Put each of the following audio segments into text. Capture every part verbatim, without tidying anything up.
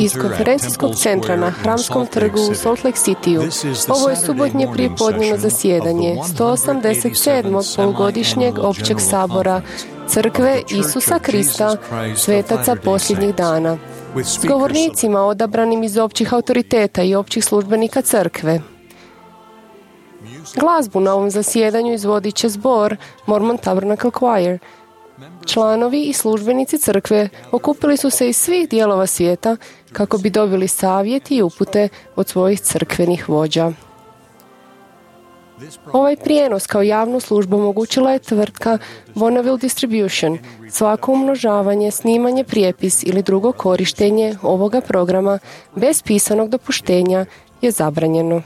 Iz konferencijskog centra na Hramskom trgu u Salt Lake Cityu, ovo je subotnje prijepodnevno zasjedanje sto osamdeset sedmog polugodišnjeg općeg sabora Crkve Isusa Krista, svetaca posljednjih dana, s govornicima odabranim iz općih autoriteta i općih službenika Crkve. Glazbu na ovom zasjedanju izvodit će zbor Mormon Tabernacle Choir. Članovi i službenici Crkve okupili su se iz svih dijelova svijeta kako bi dobili savjet i upute od svojih crkvenih vođa. Ovaj prijenos kao javnu službu omogućila je tvrtka Bonneville Distribution. Svako umnožavanje, snimanje, prijepis ili drugo korištenje ovoga programa bez pisanog dopuštenja je zabranjeno.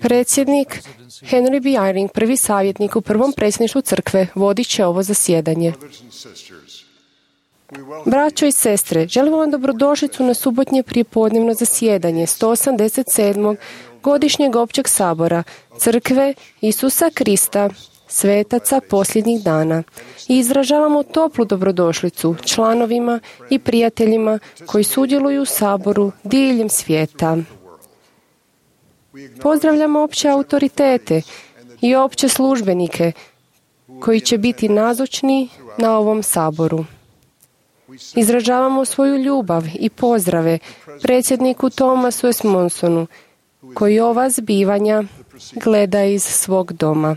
Predsjednik Henry B. Eyring, prvi savjetnik u prvom predsjedništvu Crkve, vodit će ovo zasjedanje. Braćo i sestre, želimo vam dobrodošlicu na subotnje prijepodnevno zasjedanje sto osamdeset sedmog godišnjeg općeg sabora Crkve Isusa Krista, svetaca posljednjih dana. I izražavamo toplu dobrodošlicu članovima i prijateljima koji sudjeluju u saboru diljem svijeta. Pozdravljamo opće autoritete i opće službenike koji će biti nazočni na ovom saboru. Izražavamo svoju ljubav i pozdrave predsjedniku Thomasu S. Monsonu, koji ova zbivanja gleda iz svog doma.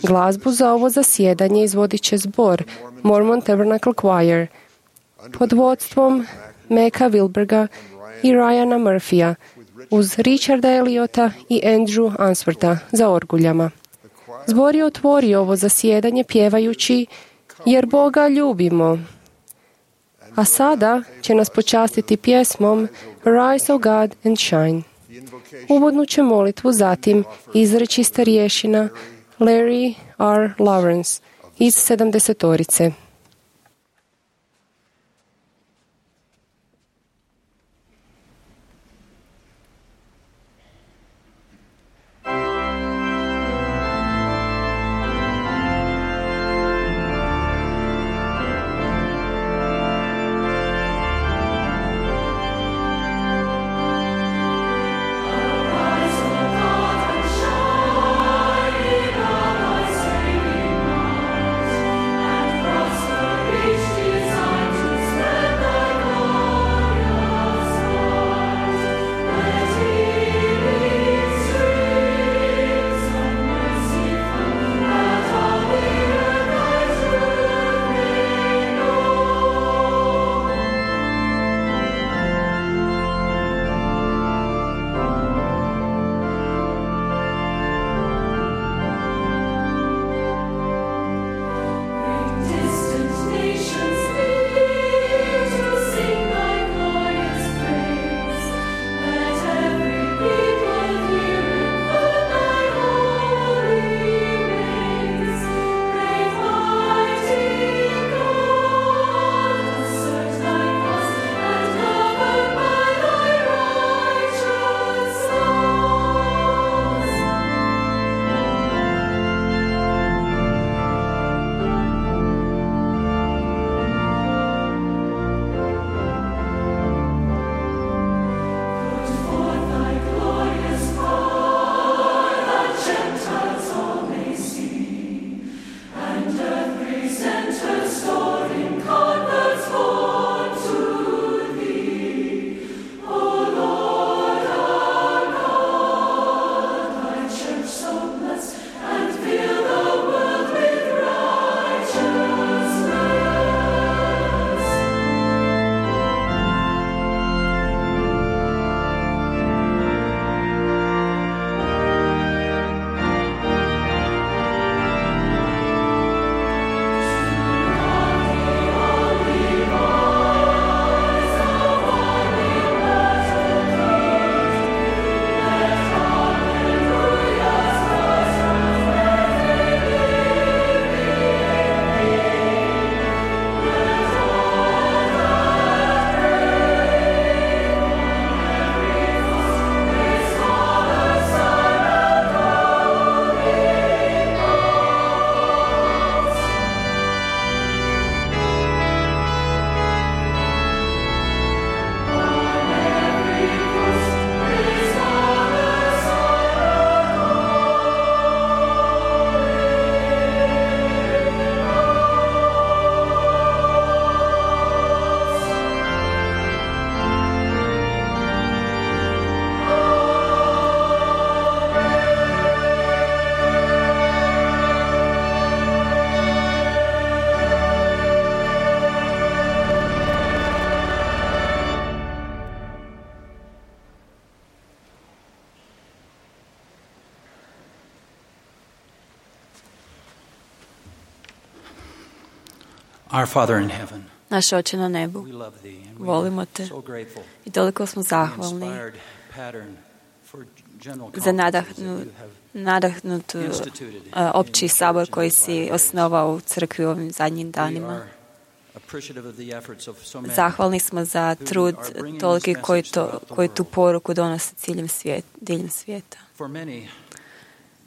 Glazbu za ovo zasjedanje izvodit će zbor Mormon Tabernacle Choir pod vodstvom Meka Wilberga i Ryana Murphyja uz Richarda Eliota i Andrew Answortha za orguljama. Zbor je otvorio ovo zasjedanje pjevajući Jer Boga ljubimo. A sada će nas počastiti pjesmom Arise, O God, and Shine. Uvodnu će molitvu zatim izreći starješina Larry R. Lawrence iz sedamdesetorice. Cross Our Father in heaven, Naš Oče na nebu, we love thee and we volimo are te so grateful i toliko smo for the zahvalni inspired pattern for general za conferences that nadahnu, you have nadahnutu instituted uh, opći in sabor church in koji these si latter days. osnovao u crkvi u ovim zadnjim We danima. are appreciative of the efforts of so many Zahvalni smo za who trud are bringing toliki this koji, message to, throughout the koji tu world. poruku donose ciljem svijet, diljem svijeta. For many,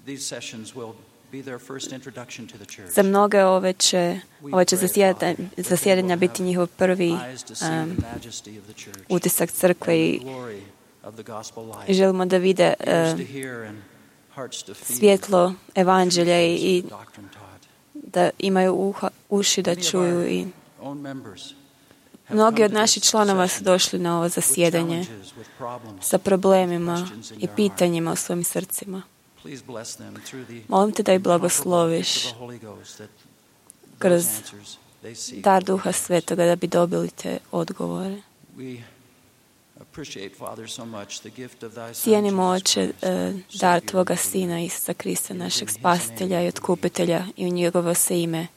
these sessions will be their first introduction to the church. Za mnoge ove će, We ove će pray, zasjedanja, Father, that they zasjedanja will biti have njihov prvi eyes to see um, the majesty of the church utisak crkve and i the glory of the gospel life. i želimo da vide Ears um, to hear and hearts to feel svjetlo evanđelja i, i the doctrine taught. da imaju uha, uši da Many of čuju. our I own members have mnogi come od to naših this članova su session došli na ovo with zasjedanje challenges, with problems, sa problemima questions in i their pitanjima u svojim srcima. Please bless them through the Molim te da ih incomparable blagosloviš gift of the Holy Ghost, that kroz those answers they seek dar will be Duha theirs. Svetoga da bi dobili te odgovore. We appreciate, Father, so much the gift of thy Son, Cijenimo, Jesus Oče, Christ, e, Savior dar and Tvoga Redeemer. Sina Isusa Krista, It is našeg in His spasitelja name i otkupitelja, i u njegovo se ime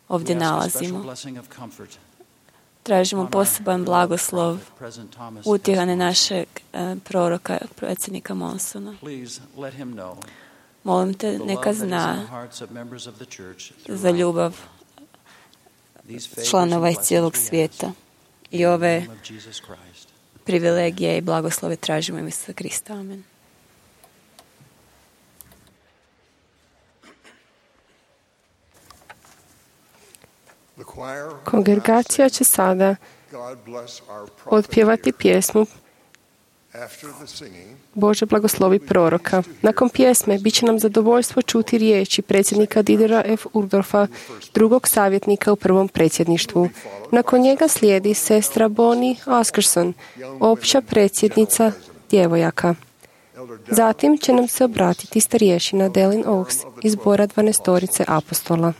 ovdje We ask a special nalazimo. blessing of comfort Tražimo on our poseban beloved blagoslov prophet, President Thomas utjehane S. našeg e, proroka, predsjednika Monsona. Please let him know Molim te, the love neka that is in zna the hearts of members of the church za throughout ljubav these favors članova and iz cijelog blessings we svijeta. ask I in the ove name of Jesus Christ. privilegije i blagoslove tražimo u ime Isusa Krista. Amen. Kongregacija će sada otpjevati pjesmu Bože blagoslovi proroka. Nakon pjesme bit će nam zadovoljstvo čuti riječi predsjednika Didera F. Uchtdorfa, drugog savjetnika u prvom predsjedništvu. Nakon njega slijedi sestra Bonnie Askerson, opća predsjednica djevojaka. Zatim će nam se obratiti starješina Delin Oaks iz zbora dvanaestorice apostola.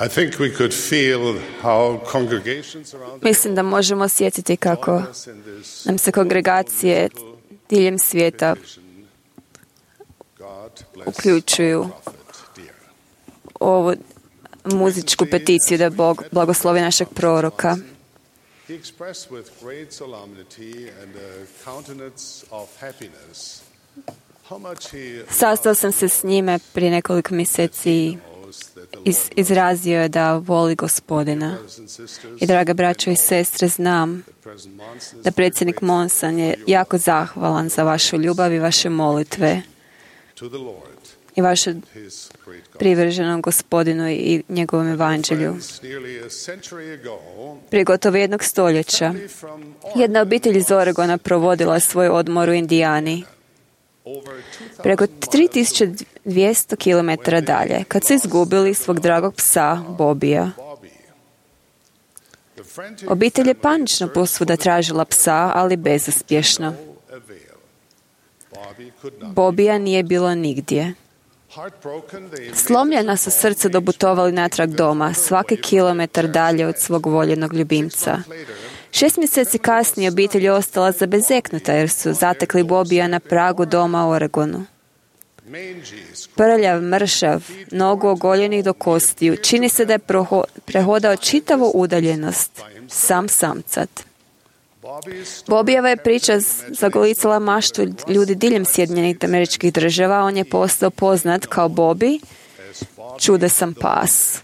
I think we could feel how congregations around the Mislim da možemo osjetiti kako nam se kongregacije diljem svijeta uključuju ovu muzičku peticiju da Bog blagoslovi našeg proroka. He expressed with great solemnity and a countenance of happiness how much he Sastao sam se s njime prije nekoliko mjeseci i iz, izrazio je da voli Gospodina. I draga braćo i sestre, znam da predsjednik Monson je jako zahvalan za vašu ljubav i vaše molitve to the Lord, i vaše his great God. privrženom Gospodinu i njegovom evanđelju. Nearly a century ago, Prije gotovo jednog stoljeća from jedna obitelj iz Oregona provodila je svoj odmor u Indijani. over two Preko tri tisuće dvjesto kilometara dalje, kad su izgubili svog dragog psa, Bobija. Bobby. The frantic Obitelj je panično posvuda tražila psa, ali bezuspješno. avail. Bobby could not. Bobija nije bilo nigdje. Heartbroken, they Slomljena su srce doputovali natrag doma, svaki kilometar dalje od svog voljenog ljubimca. Šest mjeseci kasnije obitelj je ostala zabezeknuta jer su zatekli Bobija na pragu doma u Oregonu. mangy, Prljav, mršav, nogu ogoljenih do kostiju, čini se da je proho- prehodao čitavu udaljenost, sam samcat. Bobby's Bobijeva je priča z- zagolicala maštu ljudi diljem Sjedinjenih Američkih Država. On je postao poznat kao Bobby, as Bobby. čudesan pas.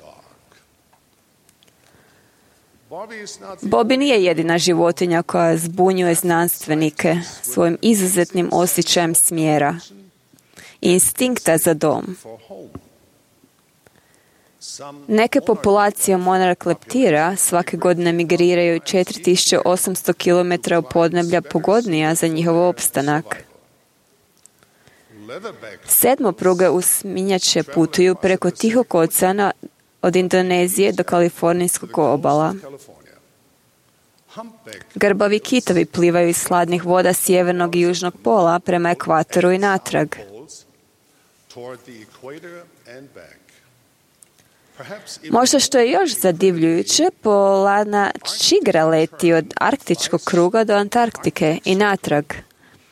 Bobby is not the Bobby nije jedina životinja koja zbunjuje znanstvenike svojim izuzetnim osjećajem smjera i instinkta za dom. for home. Some Neke populacije monarh leptira svake godine migriraju četiri tisuće osamsto kilometara u podneblja pogodnija za njihov opstanak. leatherback Sedmopruge usminjače putuju preko Tihog oceana od Indonezije do kalifornijskog obala. California. Humpback Grbavi kitovi plivaju iz hladnih voda sjevernog i južnog pola prema ekvatoru i natrag. poles toward the equator and back. Perhaps even Možda što je još zadivljujuće, polana čigra leti od arktičkog kruga do Antarktike i natrag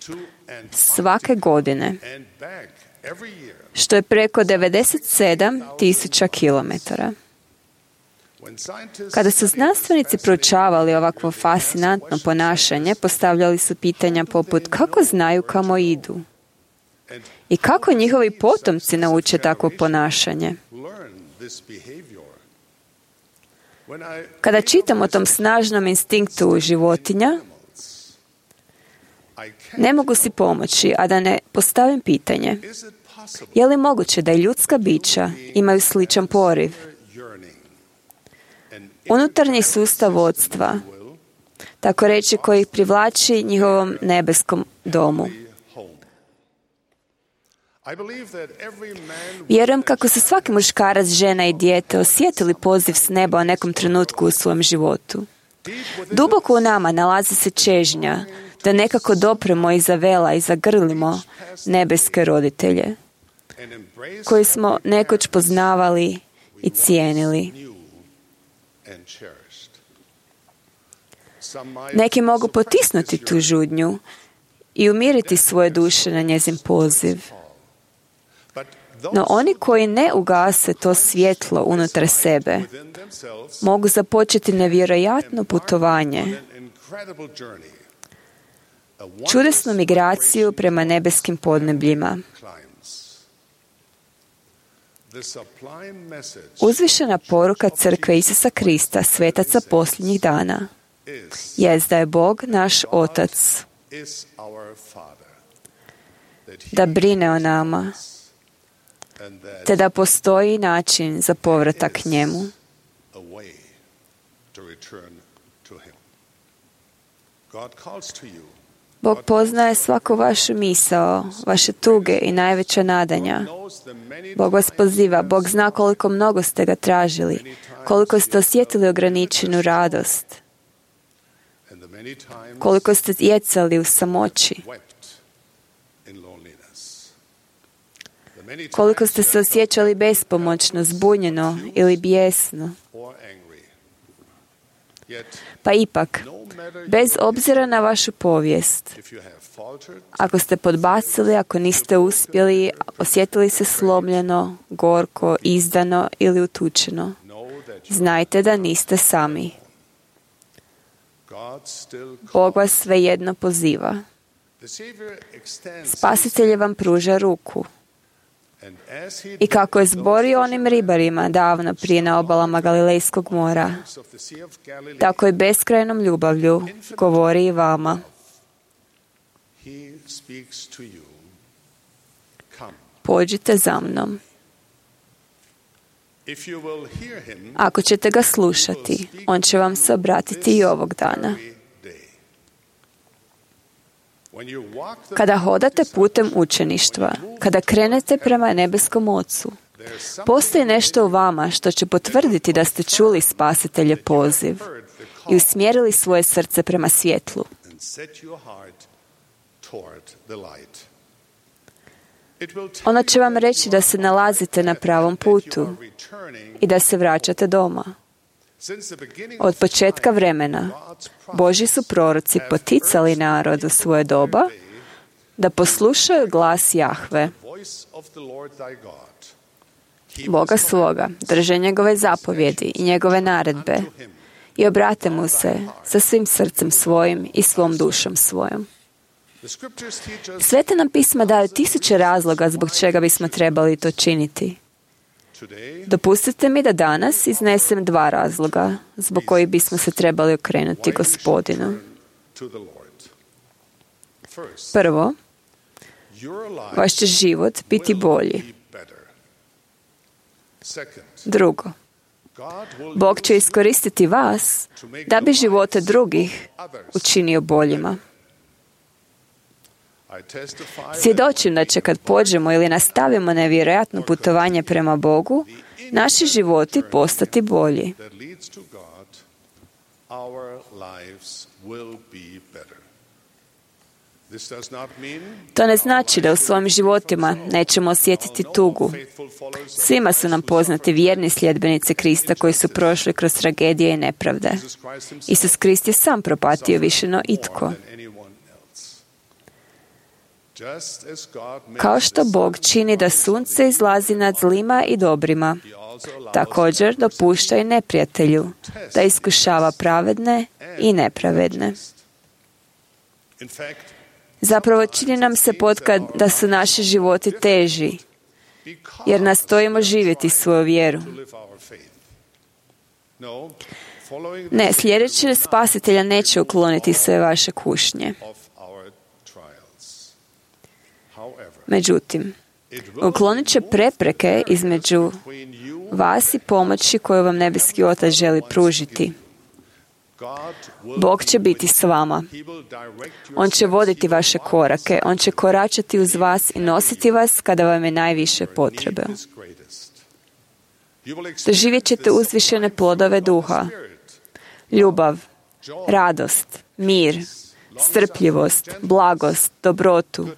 to and svake godine, and back every year. što je preko devedeset sedam tisuća kilometara. When scientists Kada su znanstvenici proučavali ovakvo fascinantno ponašanje, postavljali su pitanja poput kako znaju kamo idu i kako njihovi potomci nauče takvo ponašanje. learn this behavior. When I Kada čitam o tom snažnom instinktu životinja, I can't, ne mogu si pomoći, a da ne postavim pitanje. is it possible Je li moguće da i ljudska bića imaju sličan poriv? yearning and Unutarnji sustav vodstva, tako reći, koji ih privlači njihovom nebeskom domu. home? I believe that every man Vjerujem kako su svaki muškarac, žena i dijete osjetili poziv s neba u nekom trenutku u svojem životu. Duboko u nama nalazi se čežnja da nekako dopremo iza vela i zagrlimo nebeske roditelje and embrace koji smo nekoć poznavali i cijenili. new and cherished. Some might Neki mogu potisnuti tu žudnju i umiriti svoje duše na njezin poziv. but No those oni koji ne ugase to svjetlo unutar sebe within themselves mogu započeti nevjerojatno putovanje, an incredible journey. A čudesnu migraciju prema nebeskim podnebljima. climbs. The sublime message Uzvišena poruka Crkve Isusa Krista, svetaca posljednjih dana, is jest da je Bog naš Otac, is our Father. That he da brine o nama, and that te da postoji način za povratak njemu. a way to return to him. God calls to you. Bog poznaje svaku vašu misao, vaše tuge i najveća nadanja. Knows the many Bog vas poziva, Bog zna koliko mnogo ste ga tražili, koliko ste osjetili ograničenu radost, and the many times koliko ste jecali u samoći. wept in loneliness. The Koliko ste se osjećali bespomoćno, zbunjeno ili bijesno. Pa ipak, bez obzira na vašu povijest, ako ste podbacili, ako niste uspjeli, osjetili se slomljeno, gorko, izdano ili utučeno, znajte da niste sami. Bog vas svejedno poziva. Spasitelj vam pruža ruku. I kako je zborio onim ribarima davno prije na obalama Galilejskog mora, tako i beskrajnom ljubavlju govori i vama. Pođite za mnom. Ako ćete ga slušati, on će vam se obratiti i ovog dana. Kada hodate putem učeništva, kada krenete prema nebeskom Ocu, postoji nešto u vama što će potvrditi da ste čuli Spasiteljev poziv i usmjerili svoje srce prema svjetlu. Ono će vam reći da se nalazite na pravom putu i da se vraćate doma. Od početka vremena Božji su proroci poticali narod u svoje doba da poslušaju glas Jahve, Boga svoga, drže njegove zapovjedi i njegove naredbe i obrate mu se sa svim srcem svojim i svom dušom svojom. Sveta nam pisma daju tisuće razloga zbog čega bismo trebali to činiti. Dopustite mi da danas iznesem dva razloga zbog kojih bismo se trebali okrenuti Gospodinu. Prvo, vaš će život biti bolji. Drugo, Bog će iskoristiti vas da bi živote drugih učinio boljima. Svjedočim da će kad pođemo ili nastavimo nevjerojatno putovanje prema Bogu, naši životi postati bolji. To ne znači da u svojim životima nećemo osjetiti tugu. Svima su nam poznati vjerni sljedbenici Krista koji su prošli kroz tragedije i nepravde. Isus Krist je sam propatio više no itko. Kao što Bog čini da sunce izlazi nad zlima i dobrima, također dopušta i neprijatelju da iskušava pravedne i nepravedne. Zapravo čini nam se potkad da su naši životi teži, jer nastojimo živjeti svoju vjeru. Ne, sljedeći Spasitelja neće ukloniti sve vaše kušnje. Međutim, uklonit će prepreke između vas i pomoći koju vam nebeski Otac želi pružiti. Bog će biti s vama. On će voditi vaše korake. On će koračati uz vas i nositi vas kada vam je najviše potrebe. Doživjet ćete uzvišene plodove duha. Ljubav, radost, mir, strpljivost, blagost, dobrotu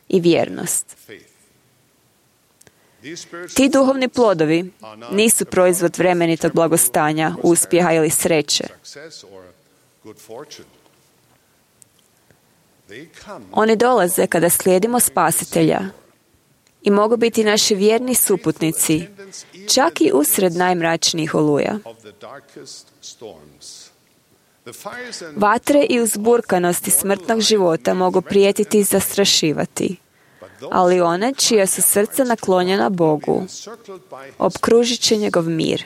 i vjernost. Ti duhovni plodovi nisu proizvod vremenitog blagostanja, uspjeha ili sreće. Oni dolaze kada slijedimo Spasitelja i mogu biti naši vjerni suputnici, čak i usred najmračnijih oluja. Vatre i uzburkanosti smrtnog života mogu prijetiti i zastrašivati, ali one čija su srca naklonjena Bogu, opkružit će njegov mir.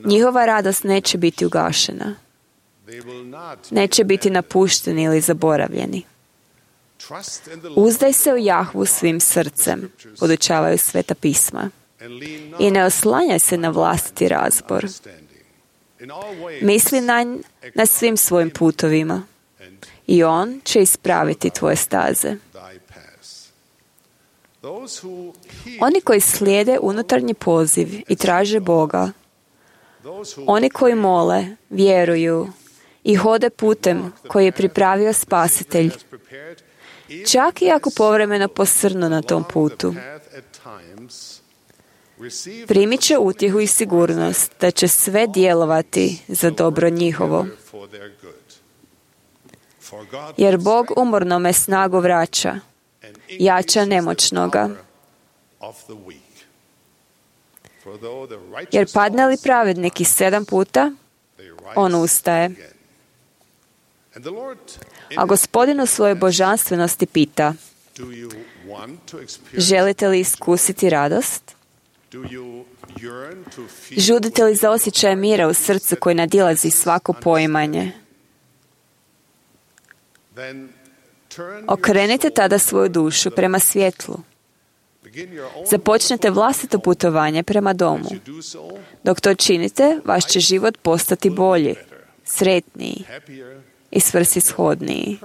Njihova radost neće biti ugašena. Neće biti napušteni ili zaboravljeni. Uzdaj se u Jahvu svim srcem, podučavaju Sveta pisma. I ne oslanjaj se na vlastiti razbor. Misli na nj na svim svojim putovima i on će ispraviti tvoje staze. Oni koji slijede unutarnji poziv i traže Boga, oni koji mole, vjeruju i hode putem koji je pripravio Spasitelj čak i ako povremeno posrnu na tom putu. Primit će utjehu i sigurnost da će sve djelovati za dobro njihovo. Jer Bog umornome snagu vraća, jača nemoćnoga. Jer padne li pravednik i sedam puta, on ustaje. A Gospodin u svojoj božanstvenosti pita: želite li iskusiti radost? Žudite li za osjećaj mira u srcu koji nadilazi svako poimanje? Okrenite tada svoju dušu prema svjetlu. Započnite vlastito putovanje prema domu. Dok to činite, vaš će život postati bolji, sretniji i svrsishodniji.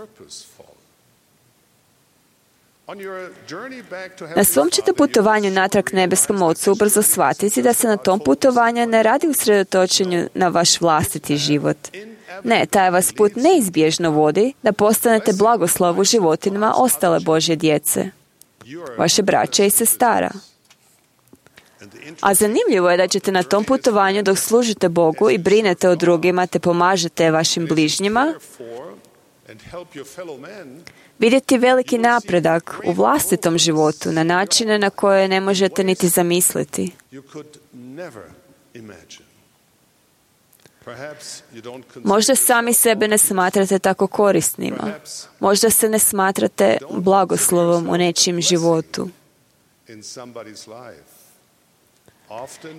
Na svom ćete putovanju natrag nebeskom Ocu ubrzo shvatiti da se na tom putovanju ne radi usredotočenju na vaš vlastiti život. Ne, taj vas put neizbježno vodi da postanete blagoslov u životima ostale Božje djece, vaše braće i sestara. A zanimljivo je da ćete na tom putovanju dok služite Bogu i brinete o drugima te pomažete vašim bližnjima, vidjeti veliki napredak u vlastitom životu na načine na koje ne možete niti zamisliti. Možda sami sebe ne smatrate tako korisnima. Možda se ne smatrate blagoslovom u nečijem životu.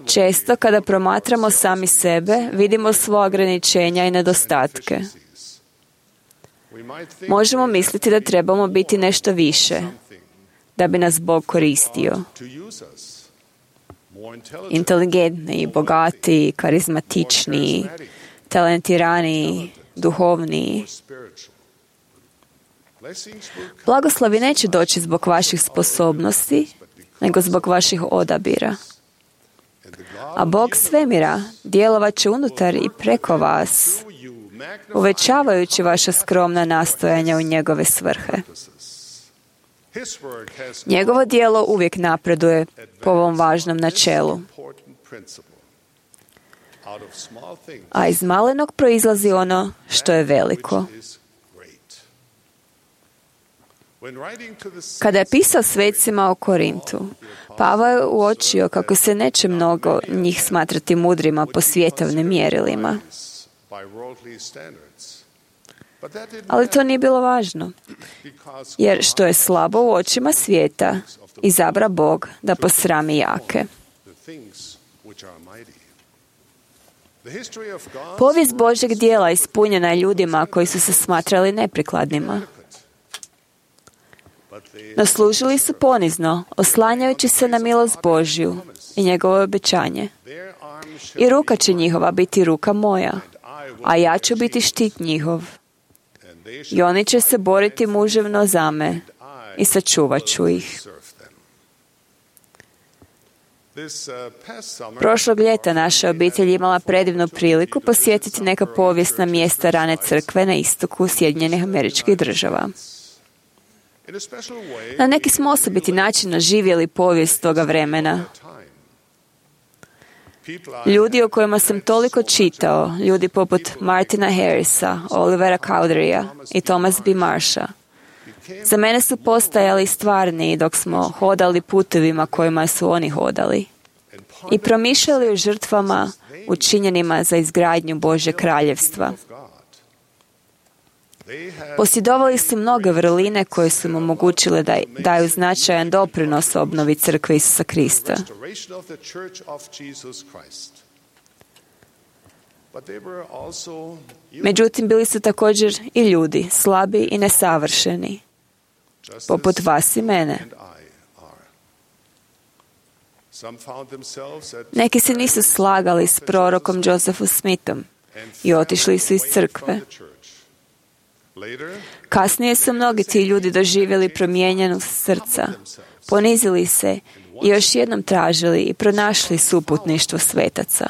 Često kada promatramo sami sebe, vidimo svoja ograničenja i nedostatke. Možemo misliti da trebamo biti nešto više, da bi nas Bog koristio. Inteligentniji, bogatiji, karizmatičniji, talentiraniji, duhovniji. Blagoslovi neće doći zbog vaših sposobnosti, nego zbog vaših odabira. A Bog svemira djelovat će unutar i preko vas, uvećavajući vaša skromna nastojanja u njegove svrhe. Njegovo djelo uvijek napreduje po ovom važnom načelu. A iz malenog proizlazi ono što je veliko. Kada je pisao svecima o Korintu, Pavao je uočio kako se neće mnogo njih smatrati mudrima po svjetovnim mjerilima. Ali to nije bilo važno, jer što je slabo u očima svijeta, izabra Bog da posrami jake. Povijest Božjeg djela ispunjena je ljudima koji su se smatrali neprikladnima. No služili su ponizno, oslanjajući se na milost Božju i njegovo obećanje. I ruka će njihova biti ruka moja, a ja ću biti štit njihov. I oni će se boriti muževno za me i sačuvat ću ih. Prošlog ljeta naša obitelj imala predivnu priliku posjetiti neka povijesna mjesta rane crkve na istoku Sjedinjenih Američkih Država. Na neki smo osobiti način doživjeli povijest toga vremena. Ljudi o kojima sam toliko čitao, ljudi poput Martina Harrisa, Olivera Cowderya i Thomas B. Marsha, za mene su postajali stvarni dok smo hodali putovima kojima su oni hodali i promišljali o žrtvama učinjenima za izgradnju Božje kraljevstva. Posjedovali su mnoge vrline koje su im omogućile da daju značajan doprinos obnovi crkve Isusa Krista. Međutim, bili su također i ljudi, slabi i nesavršeni, poput vas i mene. Neki se nisu slagali s prorokom Josephom Smithom i otišli su iz crkve. Kasnije su mnogi ti ljudi doživjeli promijenjenost srca, ponizili se i još jednom tražili i pronašli suputništvo svetaca.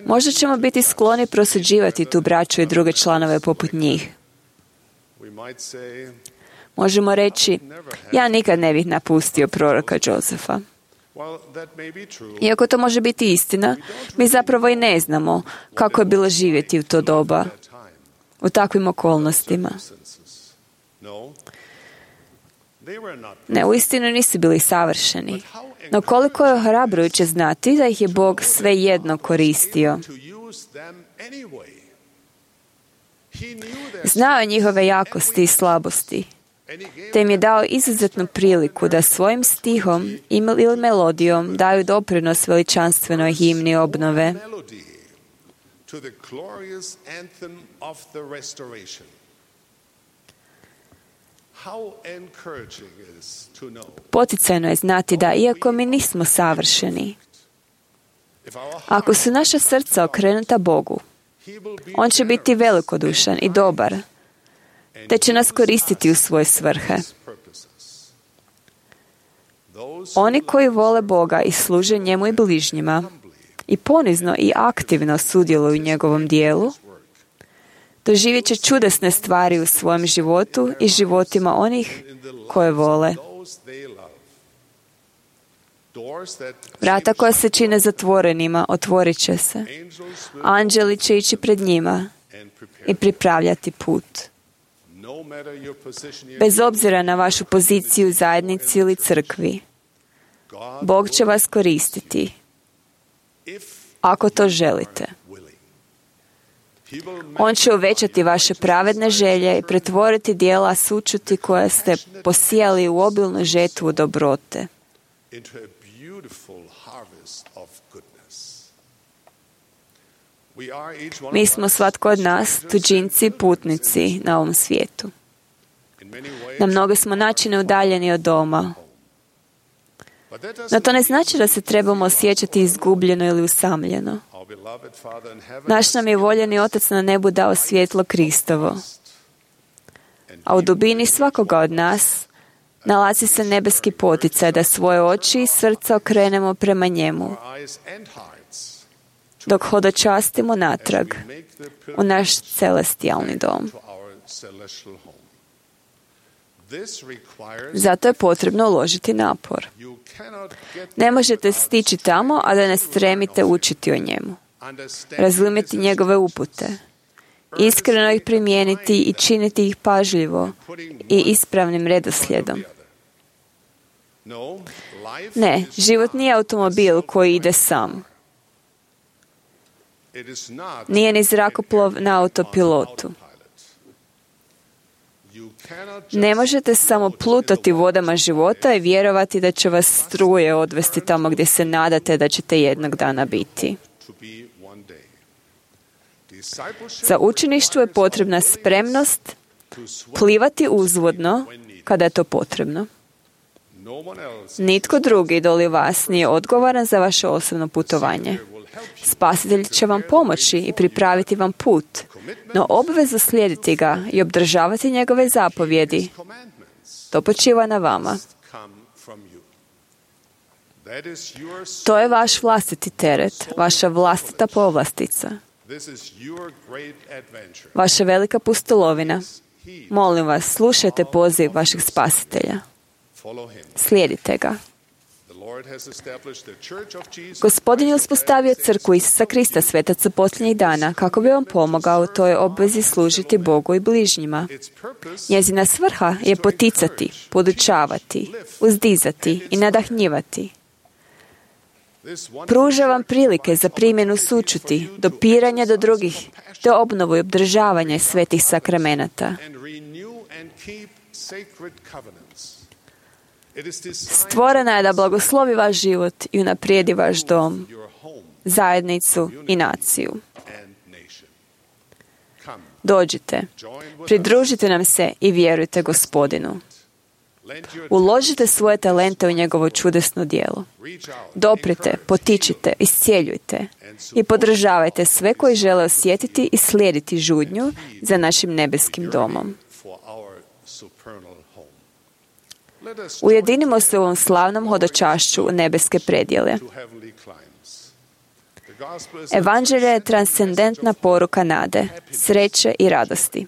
Možda ćemo biti skloni prosuđivati tu braću i druge članove poput njih. Možemo reći, ja nikad ne bih napustio proroka Josefa. Iako to može biti istina, mi zapravo i ne znamo kako je bilo živjeti u to doba, u takvim okolnostima. Ne, uistinu nisu bili savršeni. No koliko je ohrabrujuće znati da ih je Bog svejedno koristio. Znao je njihove jakosti i slabosti, te im je dao izuzetnu priliku da svojim stihom ili melodijom daju doprinos veličanstvenoj himni obnove. Poticajno je znati da, iako mi nismo savršeni, ako su naša srca okrenuta Bogu, On će biti velikodušan i dobar, te će nas koristiti u svoje svrhe. Oni koji vole Boga i služe njemu i bližnjima i ponizno i aktivno sudjeluju u njegovom dijelu, doživjet će čudesne stvari u svojem životu i životima onih koje vole. Vrata koja se čine zatvorenima otvorit će se. Anđeli će ići pred njima i pripravljati put. Bez obzira na vašu poziciju u zajednici ili crkvi, Bog će vas koristiti, ako to želite. On će uvećati vaše pravedne želje i pretvoriti dijela sućuti koje ste posijali u obilnu žetvu dobrote. Mi smo svatko od nas tuđinci i putnici na ovom svijetu. Na mnoge smo načine udaljeni od doma. No to ne znači da se trebamo osjećati izgubljeno ili usamljeno. Naš nam je voljeni Otac na nebu dao svjetlo Kristovo. A u dubini svakoga od nas nalazi se nebeski poticaj da svoje oči i srca okrenemo prema njemu, dok hodočastimo natrag u naš celestijalni dom. Zato je potrebno uložiti napor. Ne možete stići tamo, a da ne stremite učiti o njemu, razumjeti njegove upute, iskreno ih primijeniti i činiti ih pažljivo i ispravnim redoslijedom. Ne, život nije automobil koji ide sam. Nije ni zrakoplov na autopilotu. Ne možete samo plutati vodama života i vjerovati da će vas struje odvesti tamo gdje se nadate da ćete jednog dana biti. Za učeništvo je potrebna spremnost plivati uzvodno kada je to potrebno. Nitko drugi doli vas nije odgovoran za vaše osobno putovanje. Spasitelj će vam pomoći i pripraviti vam put, no obvezu slijediti ga i obdržavati njegove zapovjedi, to počiva na vama. To je vaš vlastiti teret, vaša vlastita povlastica, vaša velika pustolovina. Molim vas, slušajte poziv vašeg Spasitelja. Slijedite ga. Gospodin je uspostavio crkvu Isusa Krista, svetaca posljednjih dana, kako bi vam pomogao u toj obvezi služiti Bogu i bližnjima. Njezina svrha je poticati, podučavati, uzdizati i nadahnjivati. Pruža vam prilike za primjenu sućuti, dopiranja do drugih, te obnovu i obdržavanje svetih sakramenata. Stvorena je da blagoslovi vaš život i unaprijedi vaš dom, zajednicu i naciju. Dođite, pridružite nam se i vjerujte Gospodinu. Uložite svoje talente u njegovo čudesno djelo. Doprite, potičite, iscijeljujte i podržavajte sve koji žele osjetiti i slijediti žudnju za našim nebeskim domom. Ujedinimo se u ovom slavnom hodočašću u nebeske predjele. Evanđelje je transcendentna poruka nade, sreće i radosti.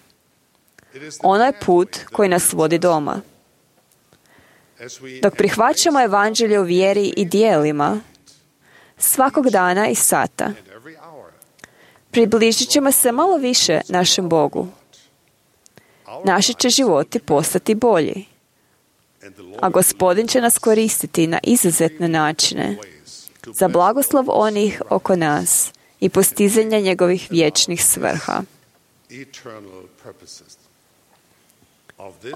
Ono je put koji nas vodi doma. Dok prihvaćamo evanđelje u vjeri i dijelima, svakog dana i sata, približit ćemo se malo više našem Bogu. Naši će životi postati bolji, a Gospodin će nas koristiti na izuzetne načine za blagoslov onih oko nas i postizanje njegovih vječnih svrha.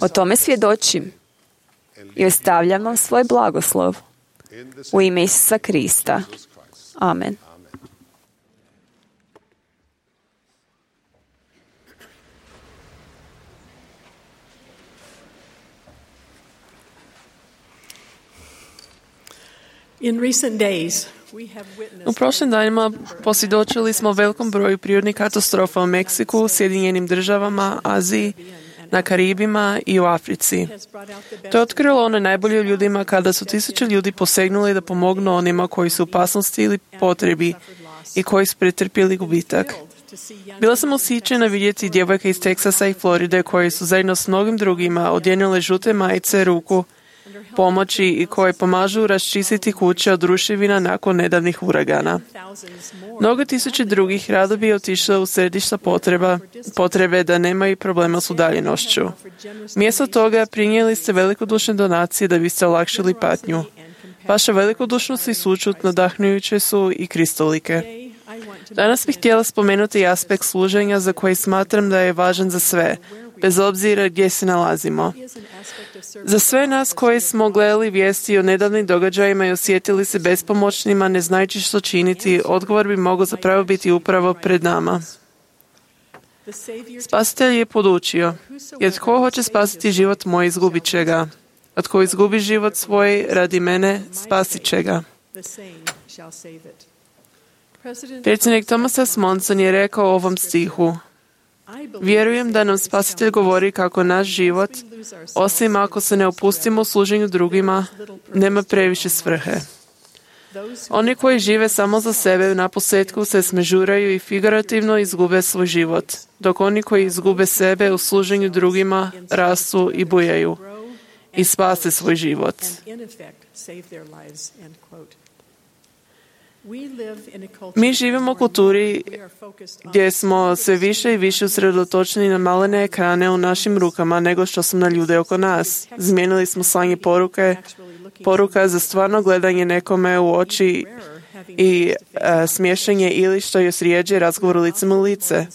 O tome svjedočim i ostavljam vam svoj blagoslov u ime Isusa Krista. Amen. U prošlim danima posvjedočili smo velikom broju prirodnih katastrofa u Meksiku, Sjedinjenim državama, Aziji, na Karibima i u Africi. To je otkrilo one najbolje u ljudima kada su tisuće ljudi posegnuli da pomognu onima koji su u opasnosti ili potrebi i koji su pretrpjeli gubitak. Bila sam ushićena vidjeti djevojke iz Teksasa i Floride koje su zajedno s mnogim drugima odjenule žute majice ruku pomoći i koje pomažu raščistiti kuće od ruševina nakon nedavnih uragana. Mnogo tisuće drugih rado bi otišle u središta potreba, potrebe da nemaju problema s udaljenošću. Mjesto toga prinijeli ste velikodušne donacije da biste olakšili patnju. Vaša velikodušnost i sućut nadahnujuće su i kristolike. Danas bih htjela spomenuti aspekt služenja za koji smatram da je važan za sve, bez obzira gdje se nalazimo. Za sve nas koji smo gledali vijesti o nedavnim događajima i osjetili se bespomoćnima, ne znajući što činiti, odgovor bi mogao zapravo biti upravo pred nama. Spasitelj je podučio, jer tko hoće spasiti život moj, izgubit će ga. A tko izgubi život svoj radi mene, spasit će ga. Predsjednik Thomas S. Monson je rekao o ovom stihu: vjerujem da nam Spasitelj govori kako naš život, osim ako se ne opustimo u služenju drugima, nema previše svrhe. Oni koji žive samo za sebe naposljetku se smežuraju i figurativno izgube svoj život, dok oni koji izgube sebe u služenju drugima rastu i bujaju i spase svoj život. Mi živimo u kulturi gdje smo sve više i više usredotočeni na malene ekrane u našim rukama nego što su na ljude oko nas. Zmijenili smo slanje poruke, poruka za stvarno gledanje nekome u oči i a, smješanje ili što još rijeđe razgovor licem u lice.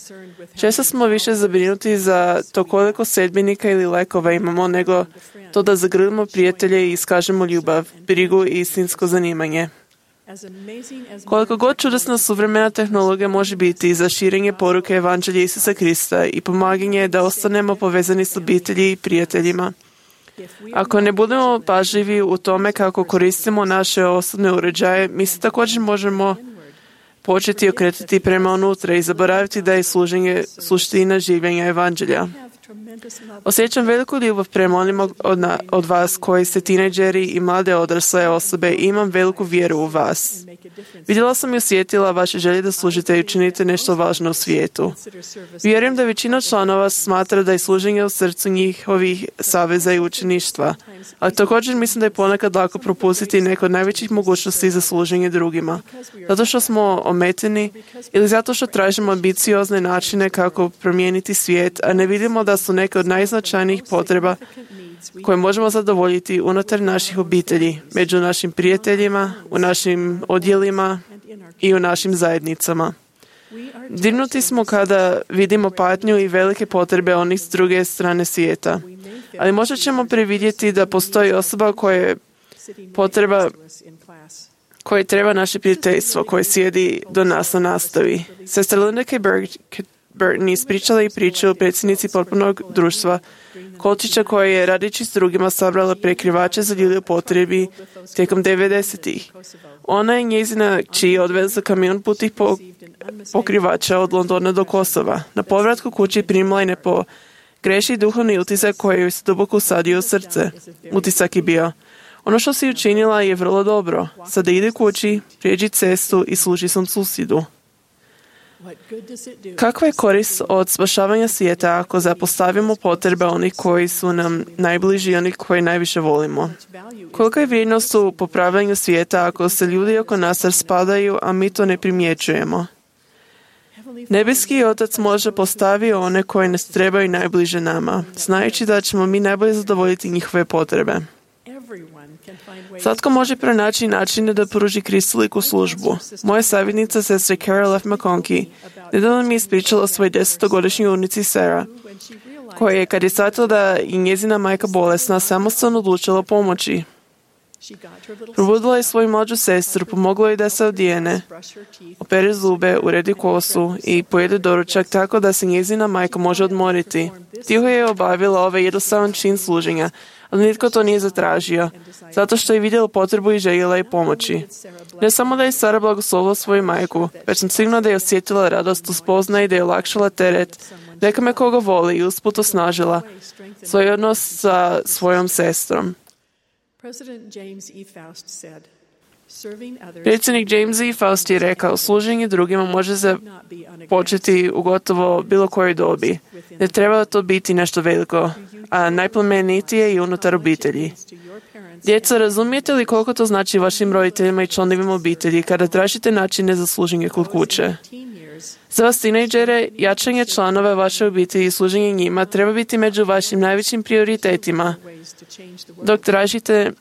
Često smo više zabrinuti za to koliko sedbenika ili lekova imamo nego to da zagrlimo prijatelje i iskažemo ljubav, brigu i istinsko zanimanje. Koliko god čudesna suvremena tehnologija može biti za širenje poruke Evanđelja Isusa Krista i pomaganje da ostanemo povezani s obitelji i prijateljima, ako ne budemo pažljivi u tome kako koristimo naše osobne uređaje, mi se također možemo početi okretati prema unutra i zaboraviti da je služenje suština življenja Evanđelja. Osjećam veliku ljubav prema onima od, na, od vas koji ste tinejdžeri i mlade odrasle osobe i imam veliku vjeru u vas. Vidjela sam i osjetila vaše želje da služite i učinite nešto važno u svijetu. Vjerujem da većina članova smatra da je služenje u srcu njihovih saveza i učeništva, ali također mislim da je ponekad lako propustiti neko od najvećih mogućnosti za služenje drugima, zato što smo ometeni ili zato što tražimo ambiciozne načine kako promijeniti svijet, a ne vidimo da su neke od najznačajnijih potreba koje možemo zadovoljiti unutar naših obitelji, među našim prijateljima, u našim odjelima i u našim zajednicama. Dirnuti smo kada vidimo patnju i velike potrebe onih s druge strane svijeta, ali možda ćemo previdjeti da postoji osoba koja potreba koji treba naše prijateljstvo, koje sjedi do nas na nastavi. Sestra Linda K. Burton ispričala i priča o predsjednici potpunog društva Kolčića koja je radići s drugima sabrala prekrivače za ljude u potrebi tijekom devedesetih. Ona je njezina kći odvezla kamion putih po, pokrivača od Londona do Kosova. Na povratku kući primila je nepogrešiv duhovni utisak koji joj se duboko usadio u srce. Utisak je bio: Ono što si učinila je vrlo dobro. Sada ide kući, prijeđi cestu i služi svom susjedu. Kakva je korist od spašavanja svijeta ako zapostavimo potrebe onih koji su nam najbliži i onih koji najviše volimo? Kolika je vrijednost u popravljanju svijeta ako se ljudi oko nas raspadaju, a mi to ne primjećujemo? Nebeski Otac može postaviti one koje nas trebaju najbliže nama, znajući da ćemo mi najbolje zadovoljiti njihove potrebe. Svatko može pronaći načine da pruži kristoliku službu. Moja savjetnica, sestra Carol F. McConkie, nedavno mi je ispričala o svojoj desetogodišnjoj unici Sarah, koja je, kad je shvatila da je njezina majka bolesna, samostalno odlučila pomoći. Probudila je svoju mlađu sestru, pomogla je da se odijene, opere zube, uredi kosu i pojede doručak tako da se njezina majka može odmoriti. Tiho je obavila ovaj jednostavan čin služenja, ali nitko to nije zatražio, zato što je vidjela potrebu i željela je pomoći. Ne samo da je Sara blagoslovila svoju majku, već sam sigurna da je osjetila radost u spoznaji, da je olakšala teret, nekome koga voli i usput osnažila svoj odnos sa svojom sestrom. Predsjednik James E. Faust je rekao, služenje drugima može započeti u gotovo bilo kojoj dobi. Ne treba to biti nešto veliko, a najplemenitije i unutar obitelji. Djeca, razumijete li koliko to znači vašim roditeljima i članovima obitelji kada tražite načine za služenje kod kuće? Za vas tinejdžere, jačanje članova vaše obitelji i služenje njima treba biti među vašim najvećim prioritetima, dok tražite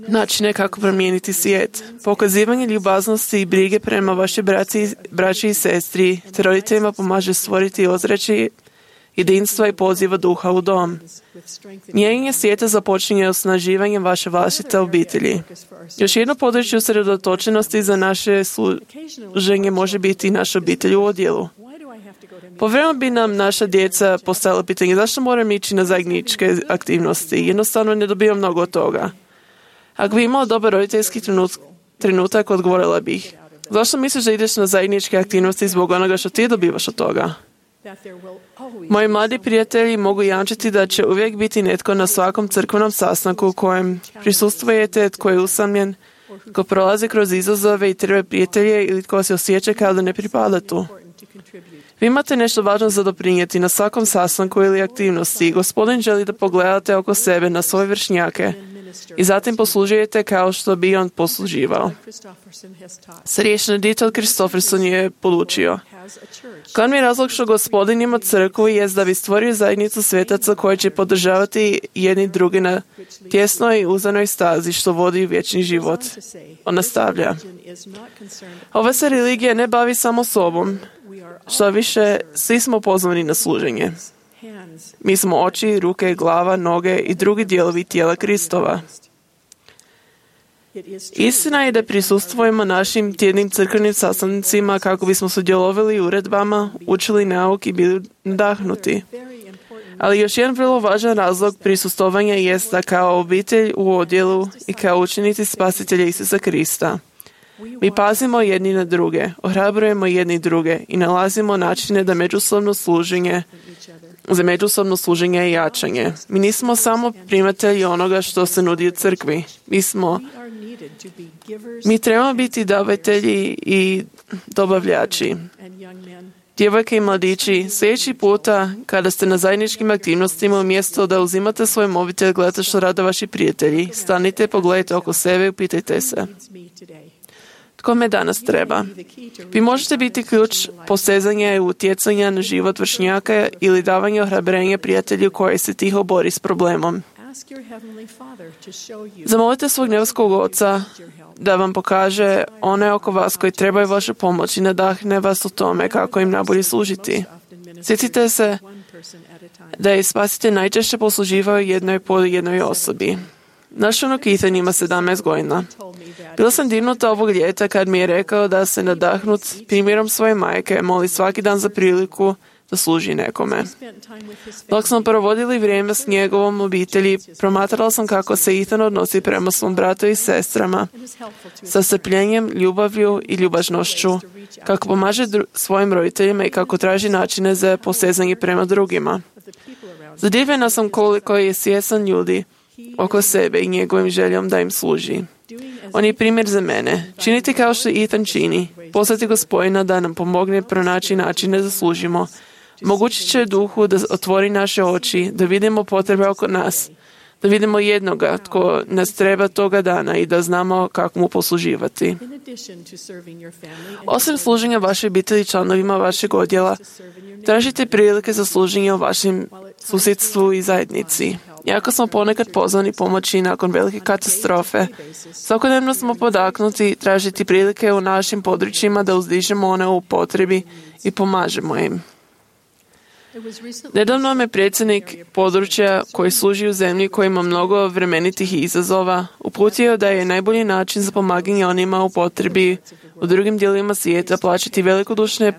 načine kako promijeniti svijet. Pokazivanje ljubaznosti i brige prema vašoj braći, braći i sestri te roditeljima pomaže stvoriti ozračje jedinstva i poziva duha u dom. Mijenjanje svijeta započinje osnaživanjem vaše vlastite obitelji. Još jedno područje usredotočenosti za naše služenje može biti naša obitelj u odjelu. Povremeno bi nam naša djeca postavila pitanje zašto moram ići na zajedničke aktivnosti. Jednostavno ne dobivam mnogo od toga. Ako bi imala dobar roditeljski trenutak, odgovorila bih. Zašto misliš da ideš na zajedničke aktivnosti zbog onoga što ti dobivaš od toga? Moji mladi prijatelji mogu jamčiti da će uvijek biti netko na svakom crkvenom sastanku u kojem prisustvujete, tko je usamljen, tko prolazi kroz izazove i treba prijatelje ili tko se osjeća kao da ne pripada tu. Vi imate nešto važno za doprinijeti na svakom sastanku ili aktivnosti. Gospodin želi da pogledate oko sebe na svoje vršnjake i zatim poslužujete kao što bi on posluživao. Starješina Dieter Christofferson je podučio. Glavni razlog što Gospodin ima crkvu je da bi stvorio zajednicu svetaca koji će podržavati jedni drugi na tjesnoj i uzanoj stazi što vodi u vječni život. On nastavlja. Ova se religija ne bavi samo sobom, što više svi smo pozvani na služenje. Mi smo oči, ruke, glava, noge i drugi dijelovi tijela Kristova. Istina je da prisustvujemo našim tjednim crkvenim sastancima kako bismo sudjelovali u uredbama, učili nauk i bili nadahnuti. Ali još jedan vrlo važan razlog prisustvovanja jest da kao obitelj u odjelu i kao učenici Spasitelja Isusa Krista mi pazimo jedni na druge, ohrabrujemo jedni druge i nalazimo načine da međusobno služenje za međusobno služenje i jačanje. Mi nismo samo primatelji onoga što se nudi u crkvi. Mi smo Mi trebamo biti davatelji i dobavljači. Djevojke i mladići, sljedeći puta kada ste na zajedničkim aktivnostima, umjesto da uzimate svoj mobitel, gledate što rade vaši prijatelji, stanite, pogledajte oko sebe i pitajte se. Tko me danas treba? Vi možete biti ključ posezanja i utjecanja na život vršnjaka ili davanja ohrabrenja prijatelju koji se tiho bori s problemom. Zamolite svog nebeskog Oca da vam pokaže one oko vas koji trebaju vašu pomoć i nadahne vas u tome kako im najbolje služiti. Sjetite se da je Spasitelj najčešće posluživao jednoj po jednoj osobi. Naš unuk Ethan ima sedamnaest godina. Bila sam divnuta ovog ljeta kad mi je rekao da se nadahnut primjerom svoje majke moli svaki dan za priliku da služi nekome. Dok smo provodili vrijeme s njegovom obitelji, promatrala sam kako se Ethan odnosi prema svom bratu i sestrama, sa strpljenjem, ljubavlju i ljubažnošću, kako pomaže dru- svojim roditeljima i kako traži načine za posezanje prema drugima. Zadivljena sam koliko je svjestan ljudi oko sebe i njegovim željom da im služi. On je primjer za mene. Činiti kao što Ethan čini. Poslati Gospodina da nam pomogne pronaći načine da služimo. Moguće će duhu da otvori naše oči, da vidimo potrebe oko nas, da vidimo jednoga tko nas treba toga dana i da znamo kako mu posluživati. Osim služenja vašoj obitelji članovima vašeg odjela, tražite prilike za služenje u vašem susjedstvu i zajednici. Iako smo ponekad pozvani pomoći nakon velike katastrofe, svakodnevno smo podaknuti tražiti prilike u našim područjima da uzdižemo one u potrebi i pomažemo im. Nedavno me predsjednik područja koji služi u zemlji koji ima mnogo vremenitih izazova uputio da je najbolji način za pomaganje onima u potrebi u drugim dijelovima svijeta plaćati velikodušne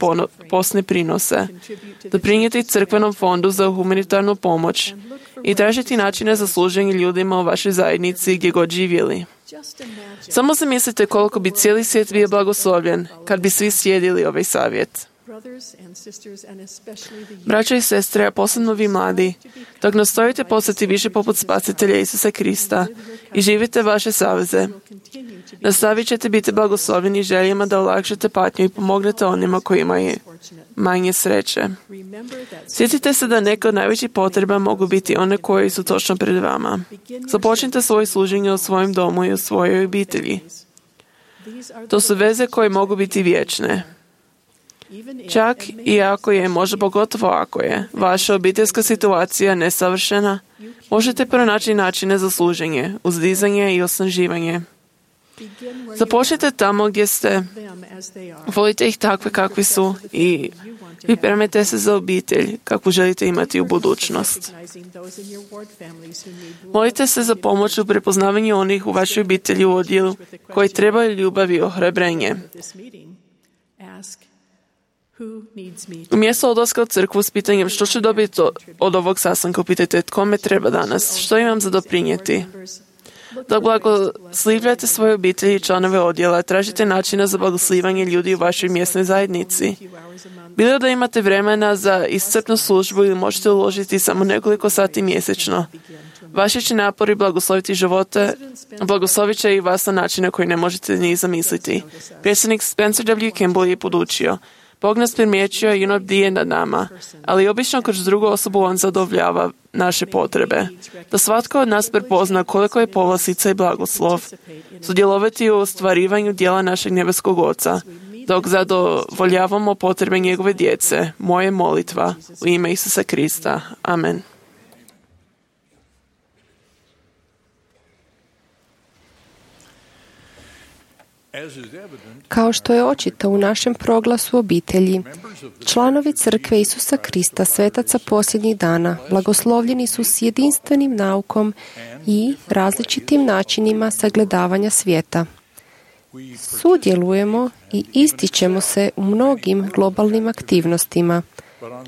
posne prinose, doprinijeti crkvenom fondu za humanitarnu pomoć i tražiti načine za služenje ljudima u vašoj zajednici gdje god živjeli. Samo zamislite koliko bi cijeli svijet bio blagoslovljen kad bi svi slijedili ovaj savjet. Braćo i sestre, a posebno vi mladi, dok nastojite postati više poput Spasitelja Isusa Krista i živite vaše saveze, nastavit ćete biti blagoslovljeni željama da olakšate patnju i pomognete onima koji imaju manje sreće. Sjetite se da neke od najvećih potreba mogu biti one koje su točno pred vama. Započnite svoje služenje u svojem domu i u svojoj obitelji. To su veze koje mogu biti vječne. Čak i ako je, možda pogotovo ako je, vaša obiteljska situacija nesavršena, možete pronaći načine za služenje, uzdizanje i osnaživanje. Započnite tamo gdje ste, volite ih takve kakvi su i pripremite se za obitelj kakvu želite imati u budućnost. Molite se za pomoć u prepoznavanju onih u vašoj obitelji u odjelu koji trebaju ljubav i ohrabrenje. Umjesto odlaska u crkvu s pitanjem što ću dobiti od ovog sastanka, pitajte tko me treba danas, što imam za doprinijeti. Dok blagoslivljate svoje obitelji i članove odjela, tražite načina za blagoslivanje ljudi u vašoj mjesnoj zajednici. Bilo da imate vremena za iscrpnu službu ili možete uložiti samo nekoliko sati mjesečno. Vaši će napori blagosloviti živote, blagoslovit će i vas na načine koji ne možete ni zamisliti. Predsjednik Spencer W. Kimball je podučio: Bog nas primjećuje i on bdije nad nama, ali obično kroz drugu osobu on zadovoljava naše potrebe. Da svatko od nas prepozna koliko je povlastica i blagoslov, sudjelovati u ostvarivanju dijela našeg nebeskog Oca, dok zadovoljavamo potrebe njegove djece. Moje molitva u ime Isusa Krista. Amen. Kao što je očito u našem proglasu obitelji, članovi Crkve Isusa Krista, svetaca posljednjih dana, blagoslovljeni su s jedinstvenim naukom i različitim načinima sagledavanja svijeta. Sudjelujemo i ističemo se u mnogim globalnim aktivnostima,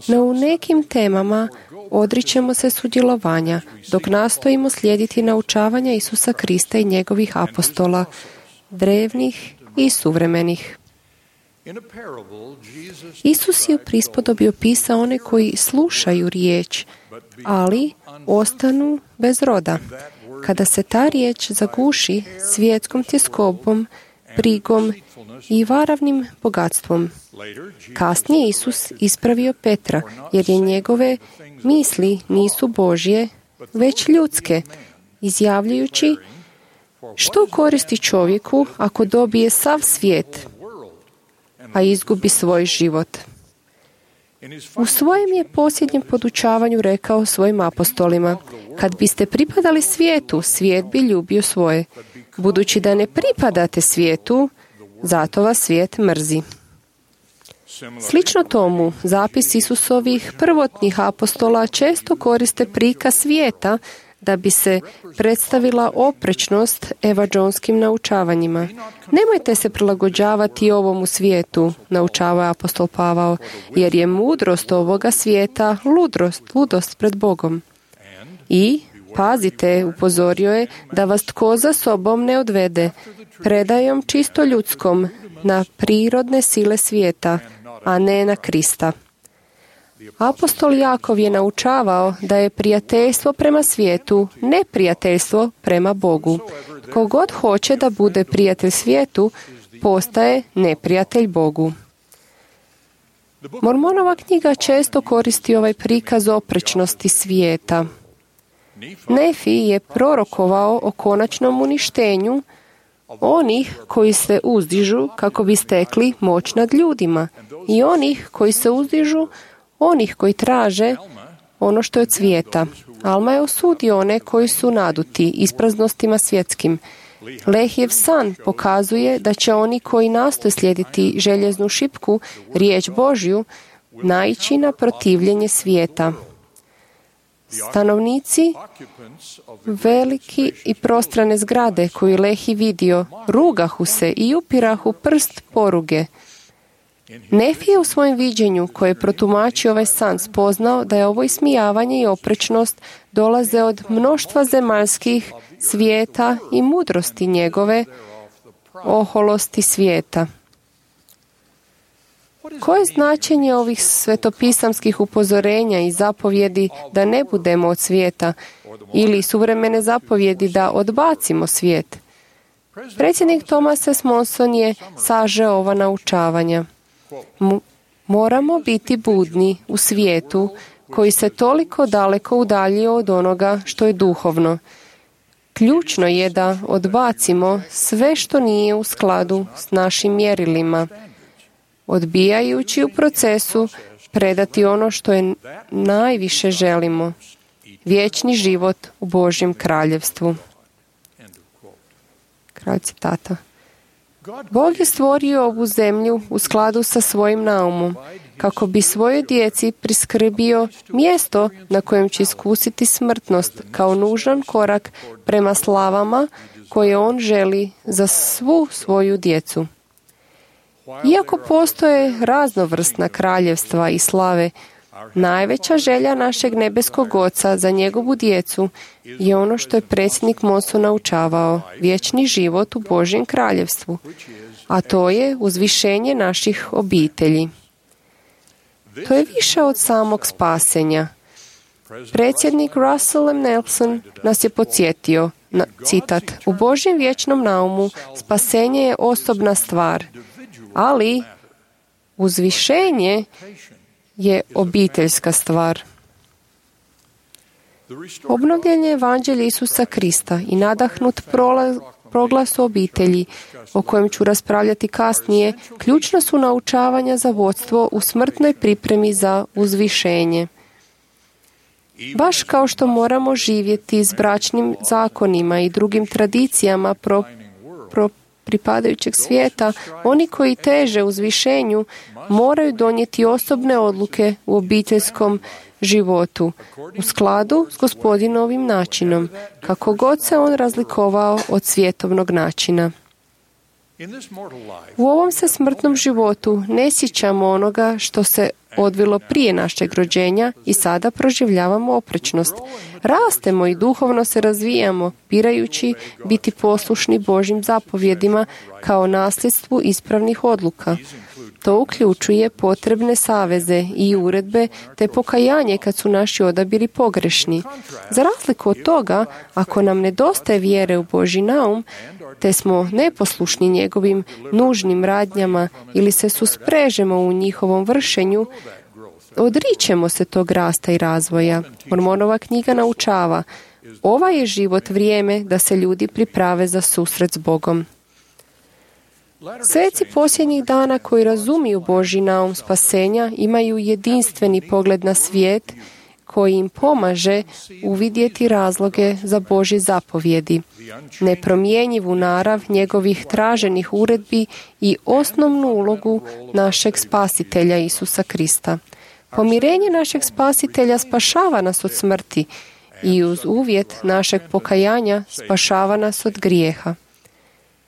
no u nekim temama odričemo se sudjelovanja, dok nastojimo slijediti naučavanja Isusa Krista i njegovih apostola, drevnih i suvremenih. Isus je u prispodobi opisao one koji slušaju riječ, ali ostanu bez roda. Kada se ta riječ zaguši svjetskom tjeskobom, brigom i varavnim bogatstvom. Kasnije Isus ispravio Petra, jer je njegove misli nisu Božje, već ljudske, izjavljujući: što koristi čovjeku ako dobije sav svijet, a izgubi svoj život? U svojem je posljednjem podučavanju rekao svojim apostolima: kad biste pripadali svijetu, svijet bi ljubio svoje. Budući da ne pripadate svijetu, zato vas svijet mrzi. Slično tomu, zapis Isusovih prvotnih apostola često koriste prikaz svijeta da bi se predstavila oprečnost evanđelskim naučavanjima. Nemojte se prilagođavati ovomu svijetu, naučava apostol Pavao, jer je mudrost ovoga svijeta ludrost, ludost pred Bogom. I, pazite, upozorio je da vas tko za sobom ne odvede predajom čisto ljudskom na prirodne sile svijeta, a ne na Krista. Apostol Jakov je naučavao da je prijateljstvo prema svijetu neprijateljstvo prema Bogu. Tko god hoće da bude prijatelj svijetu, postaje neprijatelj Bogu. Mormonova knjiga često koristi ovaj prikaz oprečnosti svijeta. Nefi je prorokovao o konačnom uništenju onih koji se uzdižu kako bi stekli moć nad ljudima i onih koji se uzdižu, onih koji traže ono što je od svijeta. Alma je osudio one koji su naduti ispraznostima svjetskim. Lehijev san pokazuje da će oni koji nastoje slijediti željeznu šipku, riječ Božju, naići na protivljenje svijeta. Stanovnici veliki i prostrane zgrade koju Lehi vidio, rugahu se i upirahu prst poruge. Nefi je u svojem viđenju koje je protumačio ovaj san spoznao da je ovo ismijavanje i oprečnost dolaze od mnoštva zemaljskih svijeta i mudrosti njegove, oholosti svijeta. Koje je značenje ovih svetopisamskih upozorenja i zapovjedi da ne budemo od svijeta ili suvremene zapovjedi da odbacimo svijet? Predsjednik Thomas S. Monson je sažeo ova naučavanja. M- moramo biti budni u svijetu koji se toliko daleko udaljio od onoga što je duhovno. Ključno je da odbacimo sve što nije u skladu s našim mjerilima, odbijajući u procesu predati ono što je najviše želimo, vječni život u Božjem kraljevstvu. Kraj citata. Bog je stvorio ovu zemlju u skladu sa svojim naumom, kako bi svojoj djeci priskrbio mjesto na kojem će iskusiti smrtnost kao nužan korak prema slavama koje on želi za svu svoju djecu. Iako postoje raznovrsna kraljevstva i slave, najveća želja našeg nebeskog Oca za njegovu djecu je ono što je predsjednik Monson naučavao, vječni život u Božjem kraljevstvu, a to je uzvišenje naših obitelji. To je više od samog spasenja. Predsjednik Russell M. Nelson nas je podsjetio, na, citat, u Božjem vječnom naumu spasenje je osobna stvar, ali uzvišenje je obiteljska stvar. Obnovljen je evanđelje Isusa Krista i nadahnut proglas o obitelji, o kojem ću raspravljati kasnije, ključna su naučavanja za vodstvo u smrtnoj pripremi za uzvišenje. Baš kao što moramo živjeti s bračnim zakonima i drugim tradicijama pro, pro pripadajućeg svijeta, oni koji teže uzvišenju moraju donijeti osobne odluke u obiteljskom životu, u skladu s Gospodinovim načinom, kako god se on razlikovao od svjetovnog načina. U ovom se smrtnom životu ne sjećamo onoga što se odvilo prije našeg rođenja i sada proživljavamo oprečnost. Rastemo i duhovno se razvijamo, birajući biti poslušni Božjim zapovjedima kao nasljedstvu ispravnih odluka. To uključuje potrebne saveze i uredbe te pokajanje kad su naši odabiri pogrešni. Za razliku od toga, ako nam nedostaje vjere u Božji naum, te smo neposlušni njegovim nužnim radnjama ili se susprežemo u njihovom vršenju, odričemo se tog rasta i razvoja. Mormonova knjiga naučava, ovaj je život vrijeme da se ljudi priprave za susret s Bogom. Sveci posljednjih dana koji razumiju Božji naum spasenja imaju jedinstveni pogled na svijet koji im pomaže uvidjeti razloge za Božje zapovjedi, nepromjenjivu narav njegovih traženih uredbi i osnovnu ulogu našeg spasitelja Isusa Krista. Pomirenje našeg spasitelja spašava nas od smrti i uz uvjet našeg pokajanja spašava nas od grijeha.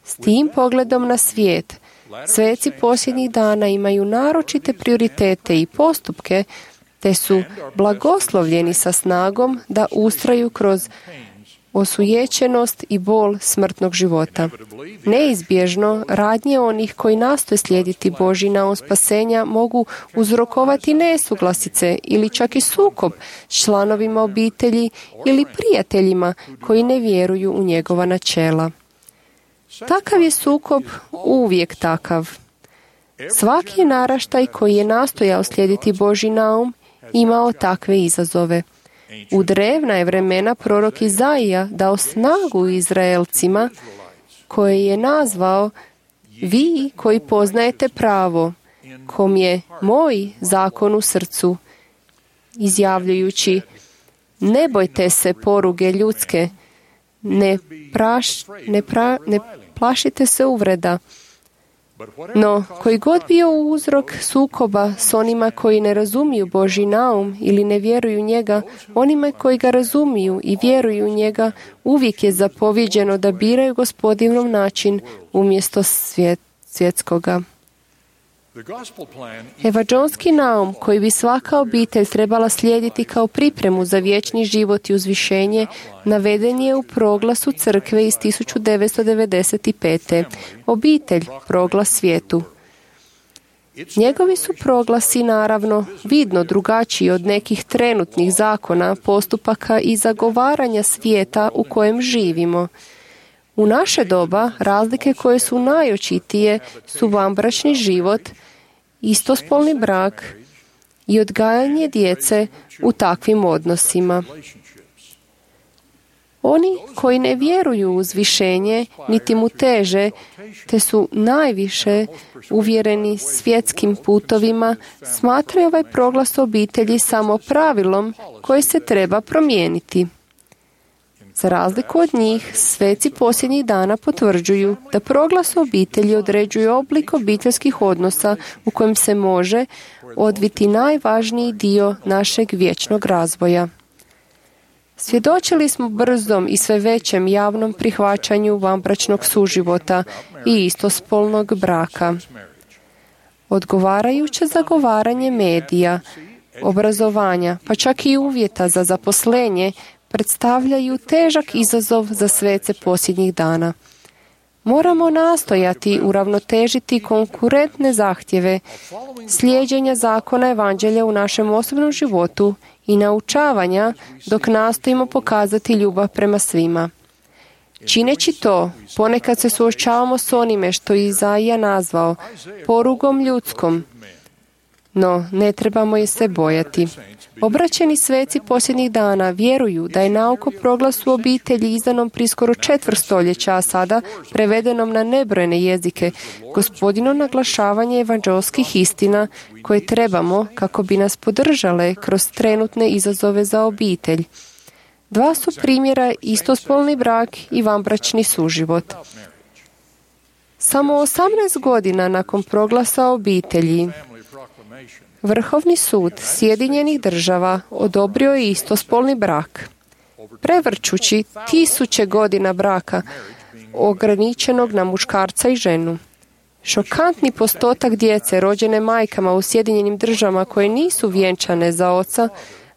S tim pogledom na svijet, sveci posljednjih dana imaju naročite prioritete i postupke, te su blagoslovljeni sa snagom da ustraju kroz osujećenost i bol smrtnog života. Neizbježno, radnje onih koji nastoje slijediti Božji naum spasenja mogu uzrokovati nesuglasice ili čak i sukob s članovima obitelji ili prijateljima koji ne vjeruju u njegova načela. Takav je sukob uvijek takav. Svaki naraštaj koji je nastojao slijediti Božji naum imao takve izazove. U drevna je vremena prorok Izaija dao snagu Izraelcima koje je nazvao vi koji poznajete pravo, kom je moj zakon u srcu, izjavljujući ne bojte se poruge ljudske, ne, praš, ne, pra, ne plašite se uvreda. No, koji god bio uzrok sukoba s onima koji ne razumiju Božji naum ili ne vjeruju njega, onima koji ga razumiju i vjeruju u njega, uvijek je zapovjeđeno da biraju Gospodinov način umjesto svijet, svjetskoga. Evanđelski naum koji bi svaka obitelj trebala slijediti kao pripremu za vječni život i uzvišenje naveden je u proglasu crkve iz tisuću devetsto devedeset pete. Obitelj, proglas svijetu. Njegovi su proglasi naravno vidno drugačiji od nekih trenutnih zakona, postupaka i zagovaranja svijeta u kojem živimo. U naše doba razlike koje su najočitije su vanbračni život, istospolni brak i odgajanje djece u takvim odnosima. Oni koji ne vjeruju u uzvišenje, niti mu teže, te su najviše uvjereni svjetskim putovima, smatraju ovaj proglas obitelji samo pravilom koje se treba promijeniti. Za razliku od njih, sveci posljednjih dana potvrđuju da proglas obitelji određuje oblik obiteljskih odnosa u kojem se može odviti najvažniji dio našeg vječnog razvoja. Svjedočili smo brzom i sve većem javnom prihvaćanju vanbračnog suživota i istospolnog braka. Odgovarajuće zagovaranje medija, obrazovanja, pa čak i uvjeta za zaposlenje, predstavljaju težak izazov za svece posljednjih dana. Moramo nastojati uravnotežiti konkurentne zahtjeve, slijeđenja zakona evanđelja u našem osobnom životu i naučavanja dok nastojimo pokazati ljubav prema svima. Čineći to, ponekad se suočavamo s onime što je Izaija nazvao porugom ljudskom, no ne trebamo je se bojati. Obraćeni sveci posljednjih dana vjeruju da je nauk o proglasu obitelji izdanom prije skoro četvrt stoljeća, a sada prevedenom na nebrojene jezike, Gospodino naglašavanje evanđelskih istina koje trebamo kako bi nas podržale kroz trenutne izazove za obitelj. Dva su primjera istospolni brak i vanbračni suživot. Samo osamnaest godina nakon proglasa obitelji, Vrhovni sud Sjedinjenih država odobrio je istospolni brak, prevrćući tisuće godina braka ograničenog na muškarca i ženu. Šokantni postotak djece rođene majkama u Sjedinjenim državama koje nisu vjenčane za oca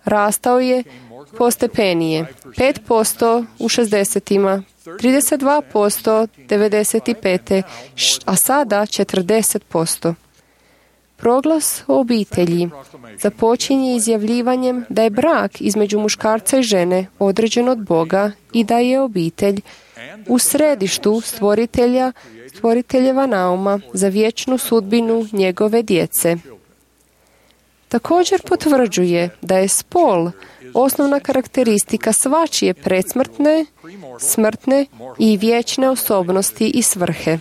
rastao je postepenije. pet posto u šezdesetima, trideset dva posto devedeset pete, a sada četrdeset posto. Proglas o obitelji započinje izjavljivanjem da je brak između muškarca i žene određen od Boga i da je obitelj u središtu stvoritelja, stvoriteljeva nauma za vječnu sudbinu njegove djece. Također potvrđuje da je spol osnovna karakteristika svačije predsmrtne, smrtne i vječne osobnosti i svrhe.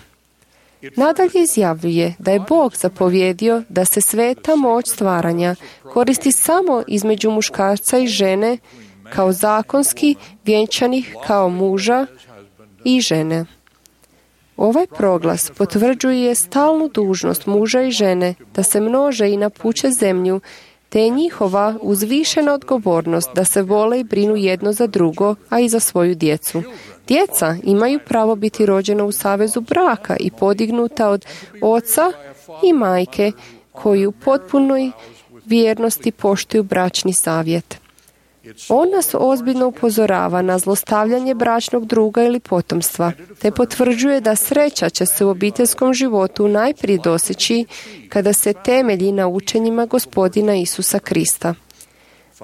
Nadalje izjavljuje da je Bog zapovjedio da se sveta moć stvaranja koristi samo između muškarca i žene kao zakonski vjenčanih kao muža i žene. Ovaj proglas potvrđuje stalnu dužnost muža i žene da se množe i napuče zemlju, te je njihova uzvišena odgovornost da se vole i brinu jedno za drugo, a i za svoju djecu. Djeca imaju pravo biti rođena u savezu braka i podignuta od oca i majke koji u potpunoj vjernosti poštuju bračni savjet. On nas ozbiljno upozorava na zlostavljanje bračnog druga ili potomstva, te potvrđuje da sreća će se u obiteljskom životu najprije doseći kada se temelji na učenjima Gospodina Isusa Krista.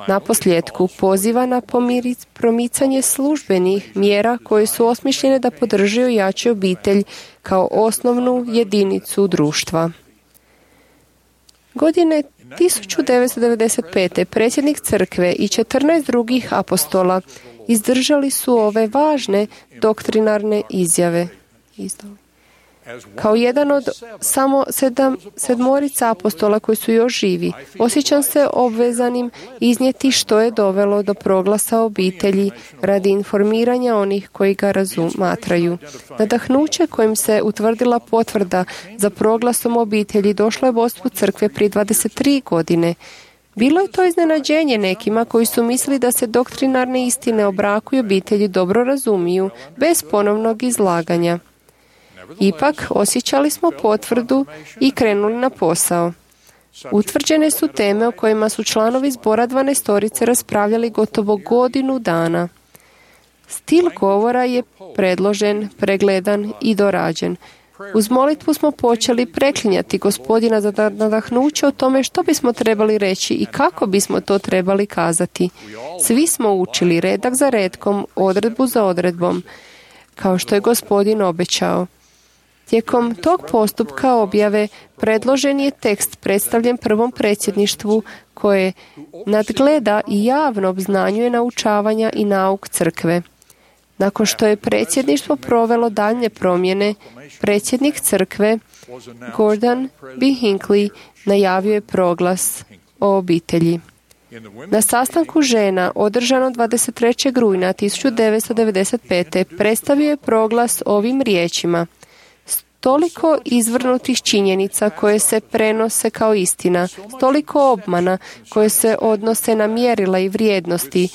Naposljetku poziva na pomiri- promicanje službenih mjera koje su osmišljene da podrže i jače obitelj kao osnovnu jedinicu društva. Godine tisuću devetsto devedeset pete. predsjednik crkve i četrnaest drugih apostola izdržali su ove važne doktrinarne izjave. Kao jedan od samo sedam, sedmorica apostola koji su još živi, osjećam se obvezanim iznijeti što je dovelo do proglasa obitelji radi informiranja onih koji ga razumatraju. Nadahnuće kojim se utvrdila potvrda za proglasom obitelji došlo je vodstvu crkve prije dvadeset tri godine. Bilo je to iznenađenje nekima koji su mislili da se doktrinarne istine o braku i obitelji dobro razumiju, bez ponovnog izlaganja. Ipak, osjećali smo potvrdu i krenuli na posao. Utvrđene su teme o kojima su članovi zbora dvanaestorice raspravljali gotovo godinu dana. Stil govora je predložen, pregledan i dorađen. Uz molitvu smo počeli preklinjati Gospodina za nadahnuće o tome što bismo trebali reći i kako bismo to trebali kazati. Svi smo učili redak za redkom, odredbu za odredbom, kao što je Gospodin obećao. Tijekom tog postupka objave predložen je tekst predstavljen prvom predsjedništvu koje nadgleda i javno obznanjuje naučavanja i nauk crkve. Nakon što je predsjedništvo provelo daljnje promjene, predsjednik crkve Gordon B. Hinckley najavio je proglas o obitelji. Na sastanku žena održano dvadeset trećeg rujna tisuću devetsto devedeset pete. predstavio je proglas ovim riječima: toliko izvrnutih činjenica koje se prenose kao istina, toliko obmana koje se odnose na mjerila i vrijednosti,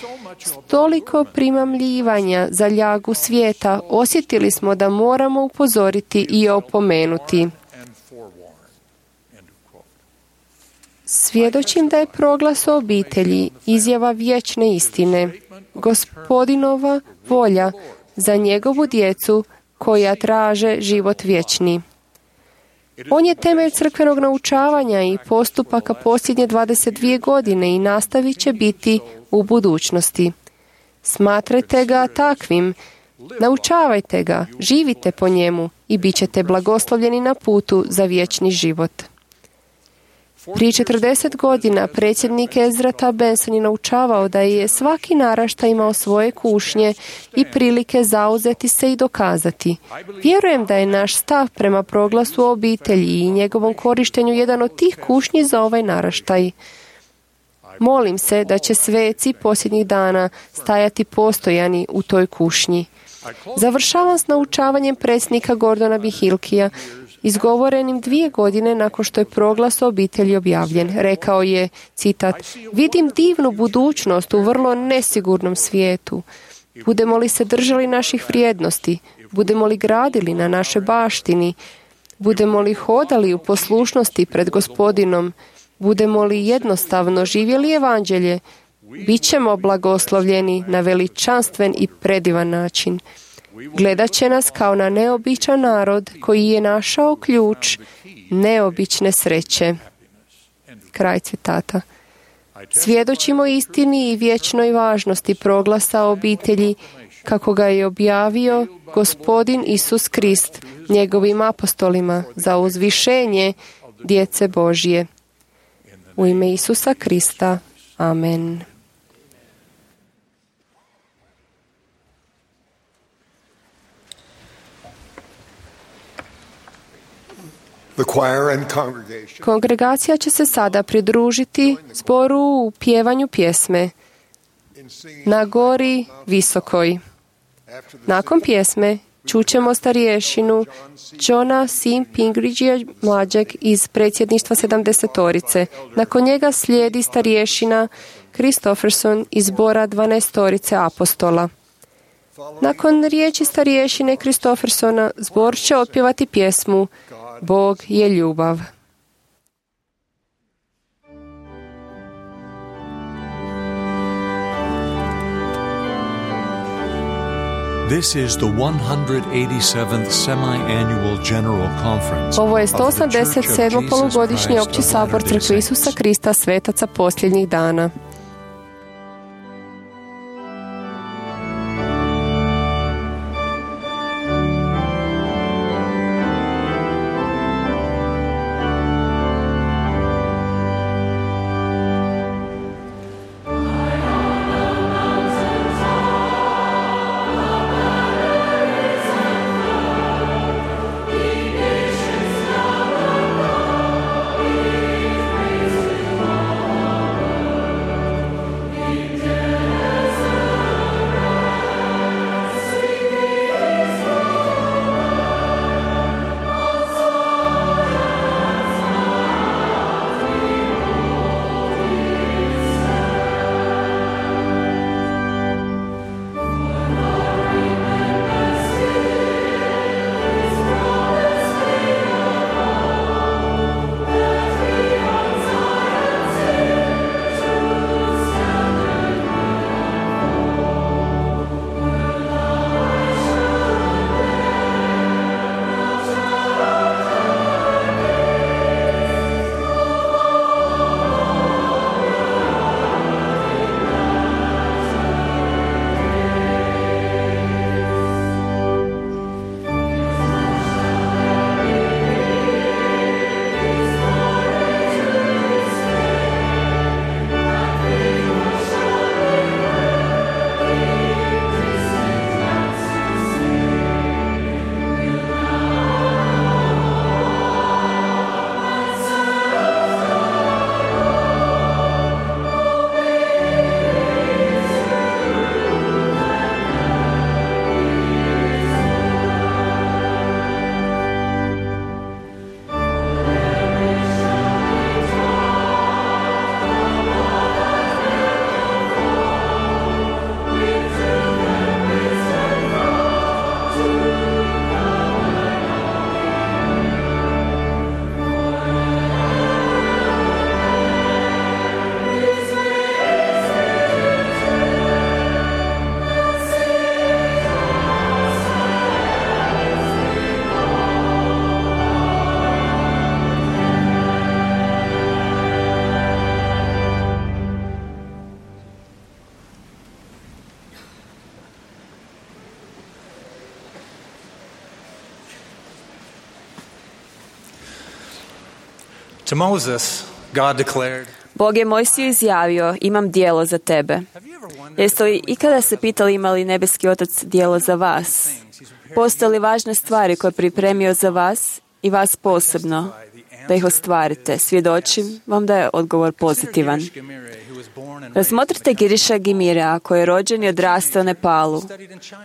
toliko primamljivanja za ljagu svijeta, osjetili smo da moramo upozoriti i opomenuti. Svjedočim da je proglas o obitelji izjava vječne istine, Gospodinova volja za njegovu djecu koja traže život vječni. On je temelj crkvenog naučavanja i postupaka posljednje dvadeset dvije godine i nastavit će biti u budućnosti. Smatrajte ga takvim, naučavajte ga, živite po njemu i bit ćete blagoslovljeni na putu za vječni život. Prije četrdeset godina predsjednik Ezra T. Benson je naučavao da je svaki naraštaj imao svoje kušnje i prilike zauzeti se i dokazati. Vjerujem da je naš stav prema proglasu o obitelji i njegovom korištenju jedan od tih kušnji za ovaj naraštaj. Molim se da će sveci posljednjih dana stajati postojani u toj kušnji. Završavam s naučavanjem predsjednika Gordona B. Hincleya, izgovorenim dvije godine nakon što je proglas o obitelji objavljen. Rekao je, citat, vidim divnu budućnost u vrlo nesigurnom svijetu. Budemo li se držali naših vrijednosti, budemo li gradili na našoj baštini, budemo li hodali u poslušnosti pred Gospodinom, budemo li jednostavno živjeli evanđelje, bit ćemo blagoslovljeni na veličanstven i predivan način. Gledat će nas kao na neobičan narod koji je našao ključ neobične sreće. Kraj citata. Svjedočimo istini i vječnoj važnosti proglasa o obitelji kako ga je objavio Gospodin Isus Krist njegovim apostolima za uzvišenje djece Božje. U ime Isusa Krista. Amen. Kongregacija će se sada pridružiti zboru u pjevanju pjesme Na gori visokoj. Nakon pjesme čućemo starješinu Johna C. Pingridgea mlađeg iz predsjedništva sedamdesetorice. Nakon njega slijedi starješina Christopherson iz zbora dvanaestorice apostola. Nakon riječi starješine Christophersona zbor će otpjevati pjesmu Bog je ljubav. This is the one hundred eighty-seventh semi-annual General Conference. Ovo je of the sto osamdeset Church of sedmo Jesus polugodišnji Christ opći of sabor Latter-day Crkve Isusa Saints. Krista svetaca posljednjih dana. To Moses, God declared, Bog je Mojsiju izjavio, imam dijelo za tebe. Jeste li ikada se pitali ima li nebeski otac dijelo za vas? Postoje li važne stvari koje je pripremio za vas i vas posebno, da ih ostvarite? Svjedočim vam da je odgovor pozitivan. Razmotrite Giriša Gimirea, koji je rođen i odrastao u Nepalu.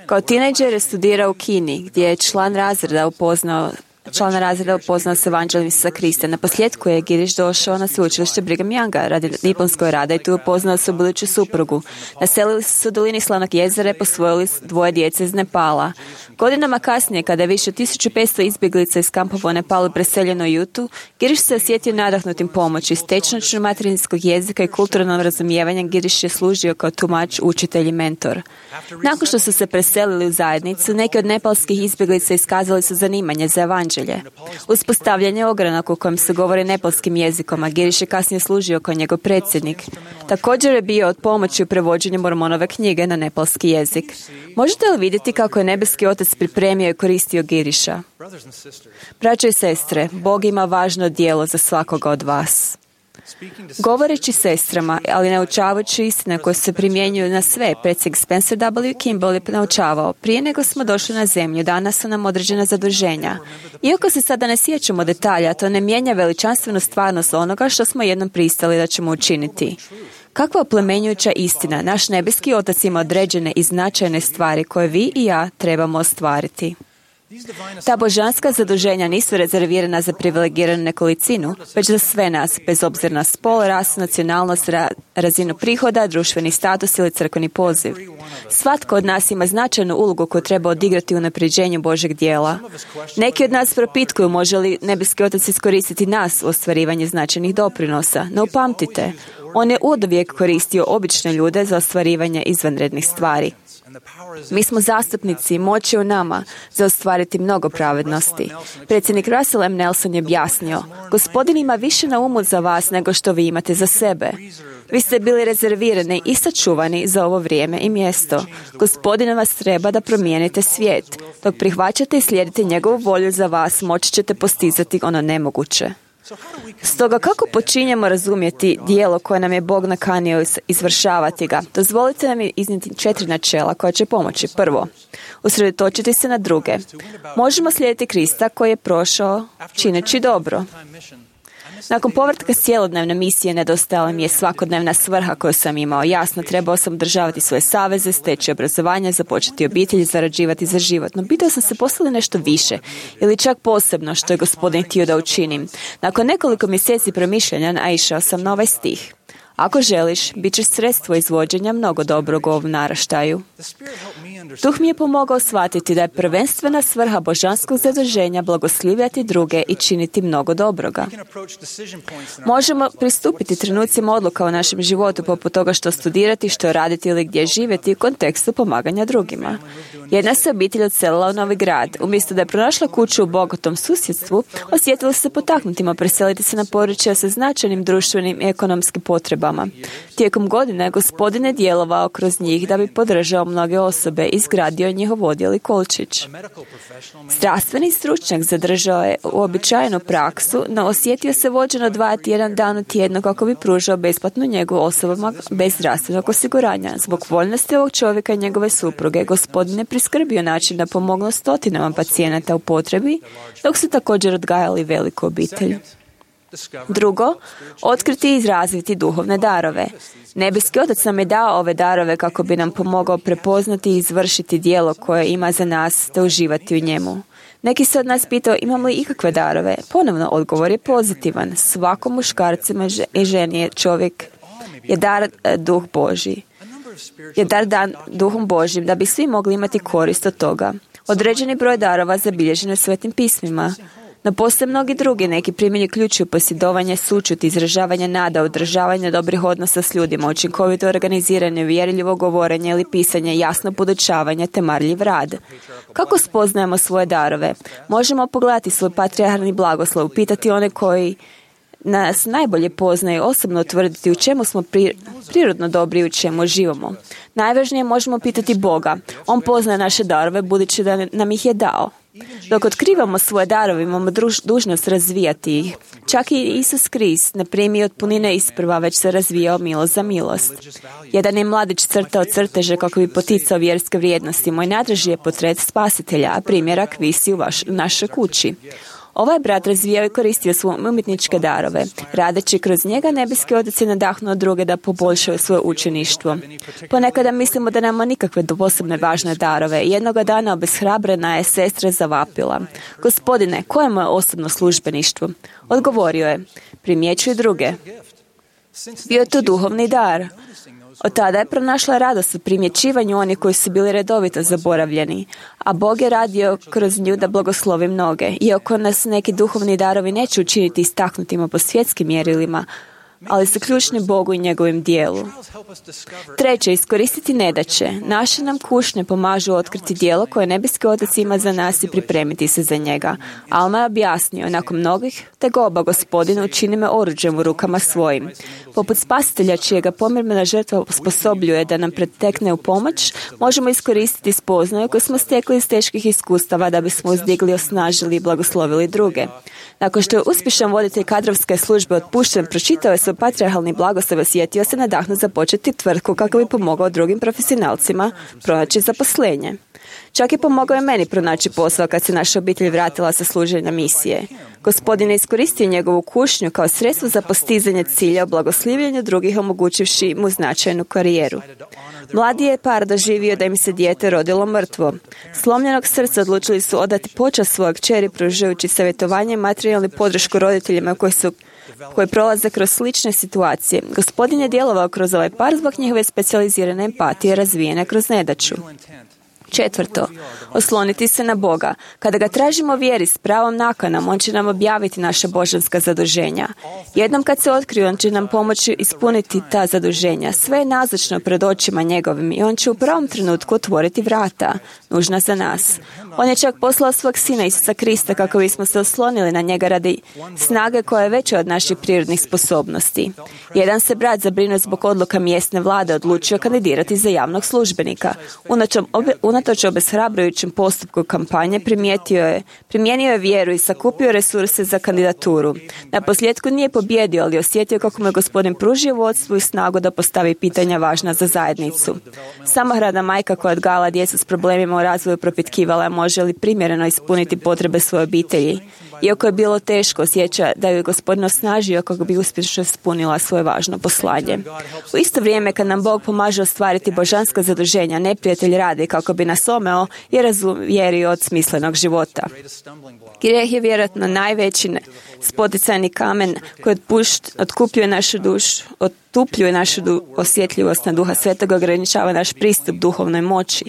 Kao tinejdžer je studirao u Kini, gdje je član razreda upoznao Član razreda upoznao se evanđeljem Isusa Krista. Na posljedku je Giriš došao na sveučilište Brigham Younga radi diplomskog rada i tu upoznao se buduću suprugu. Naselili su se u dolini Slanog jezera i posvojili dvoje djece iz Nepala. Godinama kasnije, kada je više od tisuću petsto izbjeglica iz kampova u Nepalu preseljeno u Jutu, Giriš se osjetio nadahnutim pomoći. S tečnošću materinskog jezika i kulturnom razumijevanjem Giriš je služio kao tumač, učitelj i mentor. Nakon što su se preselili u zajednicu, neki od nepalskih izbjeglica iskazali su zanimanje za evanđelje. Uspostavljanje ogranak u kojem se govori nepalskim jezikom, a Giriš je kasnije služio kao njegov predsjednik. Također je bio od pomoći u prevođenju Mormonove knjige na nepalski jezik. Možete li vidjeti kako je nebeski otac pripremio i koristio Giriša? Braćo i sestre, Bog ima važno djelo za svakoga od vas. Govoreći sestrama, ali naučavajući istine koje se primjenjuju na sve, predsjednik Spencer W. Kimball je naučavao, prije nego smo došli na zemlju, danas su nam određena zaduženja. Iako se sada ne sjećamo detalja, to ne mijenja veličanstvenu stvarnost onoga što smo jednom pristali da ćemo učiniti. Kakva oplemenjujuća istina, naš nebeski otac ima određene i značajne stvari koje vi i ja trebamo ostvariti. Ta božanska zaduženja nisu rezervirana za privilegiranu nekolicinu, već za sve nas, bez obzira na spol, rasu, nacionalnost, ra- razinu prihoda, društveni status ili crkveni poziv. Svatko od nas ima značajnu ulogu koju treba odigrati u unapređenju Božeg djela. Neki od nas propitkuju može li nebeski otac iskoristiti nas u ostvarivanju značajnih doprinosa, no upamtite, on je uvijek koristio obične ljude za ostvarivanje izvanrednih stvari. Mi smo zastupnici i moć je u nama za ostvariti mnogo pravednosti. Predsjednik Russell M. Nelson je objasnio, Gospodin ima više na umu za vas nego što vi imate za sebe. Vi ste bili rezervirani i sačuvani za ovo vrijeme i mjesto. Gospodin vas treba da promijenite svijet. Dok prihvaćate i slijedite njegovu volju za vas, moći ćete postizati ono nemoguće. Stoga kako počinjemo razumjeti dijelo koje nam je Bog nakanio izvršavati ga? Dozvolite nam iznijeti četiri načela koja će pomoći. Prvo, usredotočiti se na druge. Možemo slijediti Krista koji je prošao čineći dobro. Nakon povratka s cjelodnevne misije nedostajala mi je svakodnevna svrha koju sam imao. Jasno, trebao sam održavati svoje saveze, steći obrazovanje, započeti obitelj i zarađivati za život. No pitao sam se poslali nešto više ili čak posebno što je Gospodin htio da učinim. Nakon nekoliko mjeseci promišljanja naišao sam na ovaj stih. Ako želiš, bit ćeš sredstvo izvođenja mnogo dobrog u ovom naraštaju. Duh mi je pomogao shvatiti da je prvenstvena svrha božanskog zaduženja blagoslivljati druge i činiti mnogo dobroga. Možemo pristupiti trenucima odluka u našem životu poput toga što studirati, što raditi ili gdje živjeti u kontekstu pomaganja drugima. Jedna se obitelj odselila u novi grad. Umjesto da je pronašla kuću u bogatom susjedstvu, osjetila se potaknutima preseliti se na područje sa značajnim društvenim i ekonomskim potrebama. Tijekom godine Gospodin je djelovao kroz njih da bi podržao mnoge osobe i izgradio njihov odjel i kolčić. Zdravstveni stručnjak zadržao je uobičajenu praksu, no osjetio se vođen odvajati jedan dan u tjednu kako bi pružao besplatnu njegu osobama bez zdravstvenog osiguranja. Zbog voljnosti ovog čovjeka i njegove supruge, Gospodin je priskrbio način da pomognu stotinama pacijenata u potrebi, dok su također odgajali veliku obitelj. Drugo, otkriti i izraziti duhovne darove. Nebeski Otac nam je dao ove darove kako bi nam pomogao prepoznati i izvršiti djelo koje ima za nas te uživati u njemu. Neki se od nas pitao imam li ikakve darove. Ponovno, odgovor je pozitivan. Svakom muškarcima i ženi je čovjek je dar duh Božji. Je dar dan duhom Božjim da bi svi mogli imati korist od toga. Određeni broj darova zabilježen u Svetim pismima. No postoje mnogi drugi, neki primjeri uključuju posjedovanje, sućut, izražavanje nada, održavanje dobrih odnosa s ljudima, učinkovito organiziranje, uvjerljivo govorenje ili pisanje, jasno podučavanje te marljiv rad. Kako spoznajemo svoje darove? Možemo pogledati svoj patrijarhalni blagoslov, pitati one koji nas najbolje poznaju, osobno utvrditi u čemu smo pri, prirodno dobri i u čemu živimo. Najvažnije možemo pitati Boga. On poznaje naše darove budući da nam ih je dao. Dok otkrivamo svoje darove, imamo druž, dužnost razvijati ih. Čak i Isus Krist ne primi od punine isprva, već se razvijao milost za milost. Jedan je mladić crtao crteže kako bi poticao vjerske vrijednosti. Moj najdraži je portret spasitelja, a primjerak visi u vaš, našoj kući. Ovaj brat razvijao i koristio svoje umjetničke darove. Radeći kroz njega, Nebeski Otac je nadahnuo druge da poboljšaju svoje učeništvo. Ponekada mislimo da nema nikakve posebne važne darove. Jednoga dana obeshrabrena je sestra zavapila. Gospodine, koje je moje osobno službeništvo? Odgovorio je, primjećuj druge. Bio je to duhovni dar. Od tada je pronašla radost u primjećivanju onih koji su bili redovito zaboravljeni, a Bog je radio kroz nju da blagoslovi mnoge. Iako nas neki duhovni darovi neće učiniti istaknutima po svjetskim mjerilima, ali su ključni Bogu i njegovim dijelu. Treće, iskoristiti nedaće. Naše nam kušnje pomažu otkriti djelo koje Nebeski Otac ima za nas i pripremiti se za njega. Alma je objasnio, nakon mnogih tegoba Gospodinu učini me oruđem u rukama svojim. Poput spasitelja čijega pomirmena žrtva osposobljuje da nam pretekne u pomoć, možemo iskoristiti spoznaju koju smo stekli iz teških iskustava da bismo uzdigli, osnažili i blagoslovili druge. Nakon što je uspješan voditelj kadrovske službe otpušten, pročitao je svoj patrijarhalni blagoslov i osjetio se nadahnut započeti tvrtku kako bi pomogao drugim profesionalcima pronaći zaposlenje. Čak je pomogao i meni pronaći posao kad se naša obitelj vratila sa služenja misije. Gospodin je iskoristio njegovu kušnju kao sredstvo za postizanje cilja o blagoslivljenju drugih, omogućivši mu značajnu karijeru. Mladi je par doživio da im se dijete rodilo mrtvo. Slomljenog srca odlučili su odati počast svojeg kćeri pružajući savjetovanje i materijalnu podršku roditeljima koji su koji prolaze kroz slične situacije. Gospodin je djelovao kroz ovaj par zbog njihove specijalizirane empatije razvijene kroz nedaću. Četvrto, osloniti se na Boga. Kada ga tražimo vjeri s pravom nakanom, On će nam objaviti naša božanska zaduženja. Jednom kad se otkriju, On će nam pomoći ispuniti ta zaduženja. Sve je nazočno pred očima njegovim i On će u pravom trenutku otvoriti vrata, nužna za nas. On je čak poslao svog Sina Isusa Krista kako bismo se oslonili na njega radi snage koja je veća od naših prirodnih sposobnosti. Jedan se brat zabrinuo zbog odluka mjesne vlade odlučio kandidirati za javnog službenika. Unatoč obeshrabrujućem postupku kampanje primijetio je, primijenio je vjeru i sakupio resurse za kandidaturu. Na posljedku nije pobjedio, ali osjetio kako mu je Gospodin pružio vodstvo i snagu da postavi pitanja važna za zajednicu. Samohrana majka koja odgajala djecu s problemima u razvoju propitkivala je može li primjereno ispuniti potrebe svoje obitelji. Iako je bilo teško, osjeća da ju je Gospodin osnažio kako bi uspješno ispunila svoje važno poslanje. U isto vrijeme kad nam Bog pomaže ostvariti božanska zaduženja, neprijatelj radi kako bi nas omeo i razuvjerio od smislenog života. Grijeh je vjerojatno najveći spoticajni kamen koji otkupljuje našu dušu, otupljuje našu du, osjetljivost na Duha Svetoga, ograničava naš pristup duhovnoj moći.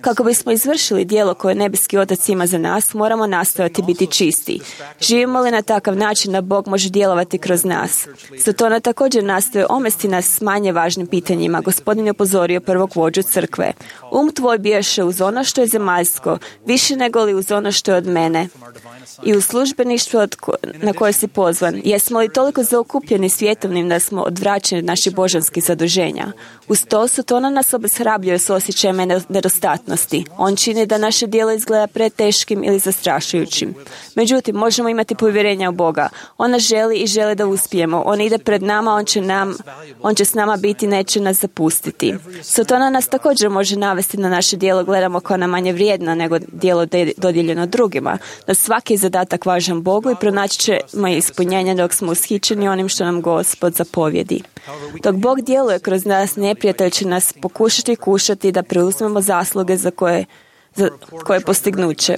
Kako bismo izvršili djelo koje nebeski Otac ima za nas, moramo nastojati biti čisti. Živimo li na takav način da Bog može djelovati kroz nas? Zato ona također nastoje omesti nas s manje važnim pitanjima. Gospodin je upozorio prvog vođu crkve. Um tvoj biješe uz ono što je zemaljsko, više nego li uz ono što je od mene. I u službeništvu na koje si pozvan. Jesmo li toliko zaokupljeni svjetovnim da smo odvraćeni od naših božanskih zaduženja? Uz to su to ona nas obeshrabljuje s osjećajem nedostatnosti. On čini da naše djelo izgleda preteškim ili zastrašujućim. Međutim, možemo imati povjerenja u Boga. Ona želi i želi da uspijemo. On ide pred nama, on će, nam, on će s nama biti, neće nas zapustiti. Sotona nas također može navesti na naše djelo gledamo kao na manje vrijedno nego djelo dodijeljeno drugima. Da svaki zadatak važan Bogu i pronaći ćemo ispunjenje dok smo ushićeni onim što nam Gospod zapovjedi. Dok Bog djeluje kroz nas, neprijatelj će nas pokušati kušati da preuzmemo zasluge za koje za koje postignuće.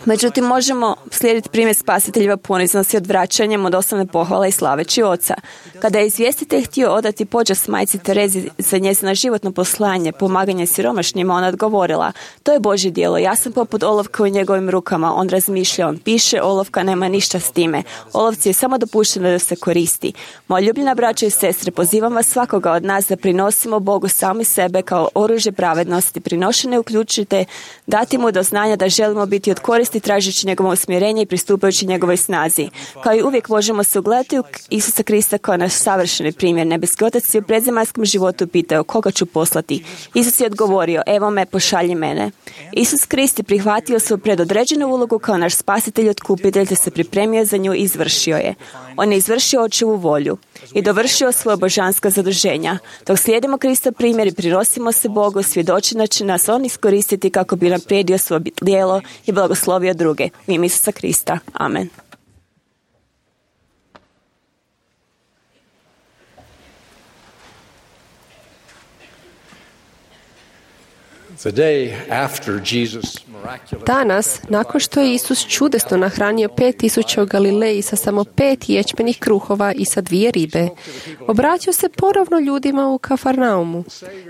Međutim, možemo slijediti primjer spasiteljeva poniznosti odvraćanjem od osnovne pohvale i slaveći oca. Kada je izvjestitelj htio odati počast majci Terezi za njezino životno poslanje, pomaganje siromašnjima, ona odgovorila: to je Božje djelo, ja sam poput olovka u njegovim rukama. On razmišlja, on piše, olovka nema ništa s time. Olovci je samo dopušteno da se koristi. Moja ljubljena braća i sestre, pozivam vas svakoga od nas da prinosimo Bogu sami sebe kao oružje pravednosti. Prinošene uključite dati mu do znanja da želimo biti od koristi tražeći njegovo usmjerenje i pristupajući njegovoj snazi. Kao i uvijek možemo se ugledati u Isusa Krista kao naš savršeni primjer. Nebeski Otac je u predzemaljskom životu pitao koga ću poslati. Isus je odgovorio: evo me, pošalji mene. Isus Krist je prihvatio svoju predodređenu ulogu kao naš spasitelj i otkupitelj te se pripremio za nju i izvršio je. On je izvršio Očevu volju i dovršio svoje božanska zaduženja. Dok slijedimo Krista primjer i prinosimo se Bogu, svjedoči da će nas on iskoristiti kako bi naprijedio svoje djelo i blagoslovio druge. U ime Isusa Krista. Amen. Danas, nakon što je Isus čudesno nahranio pet tisuća u Galileji sa samo pet ječmenih kruhova i sa dvije ribe, obratio se ponovno ljudima u Kafarnaumu.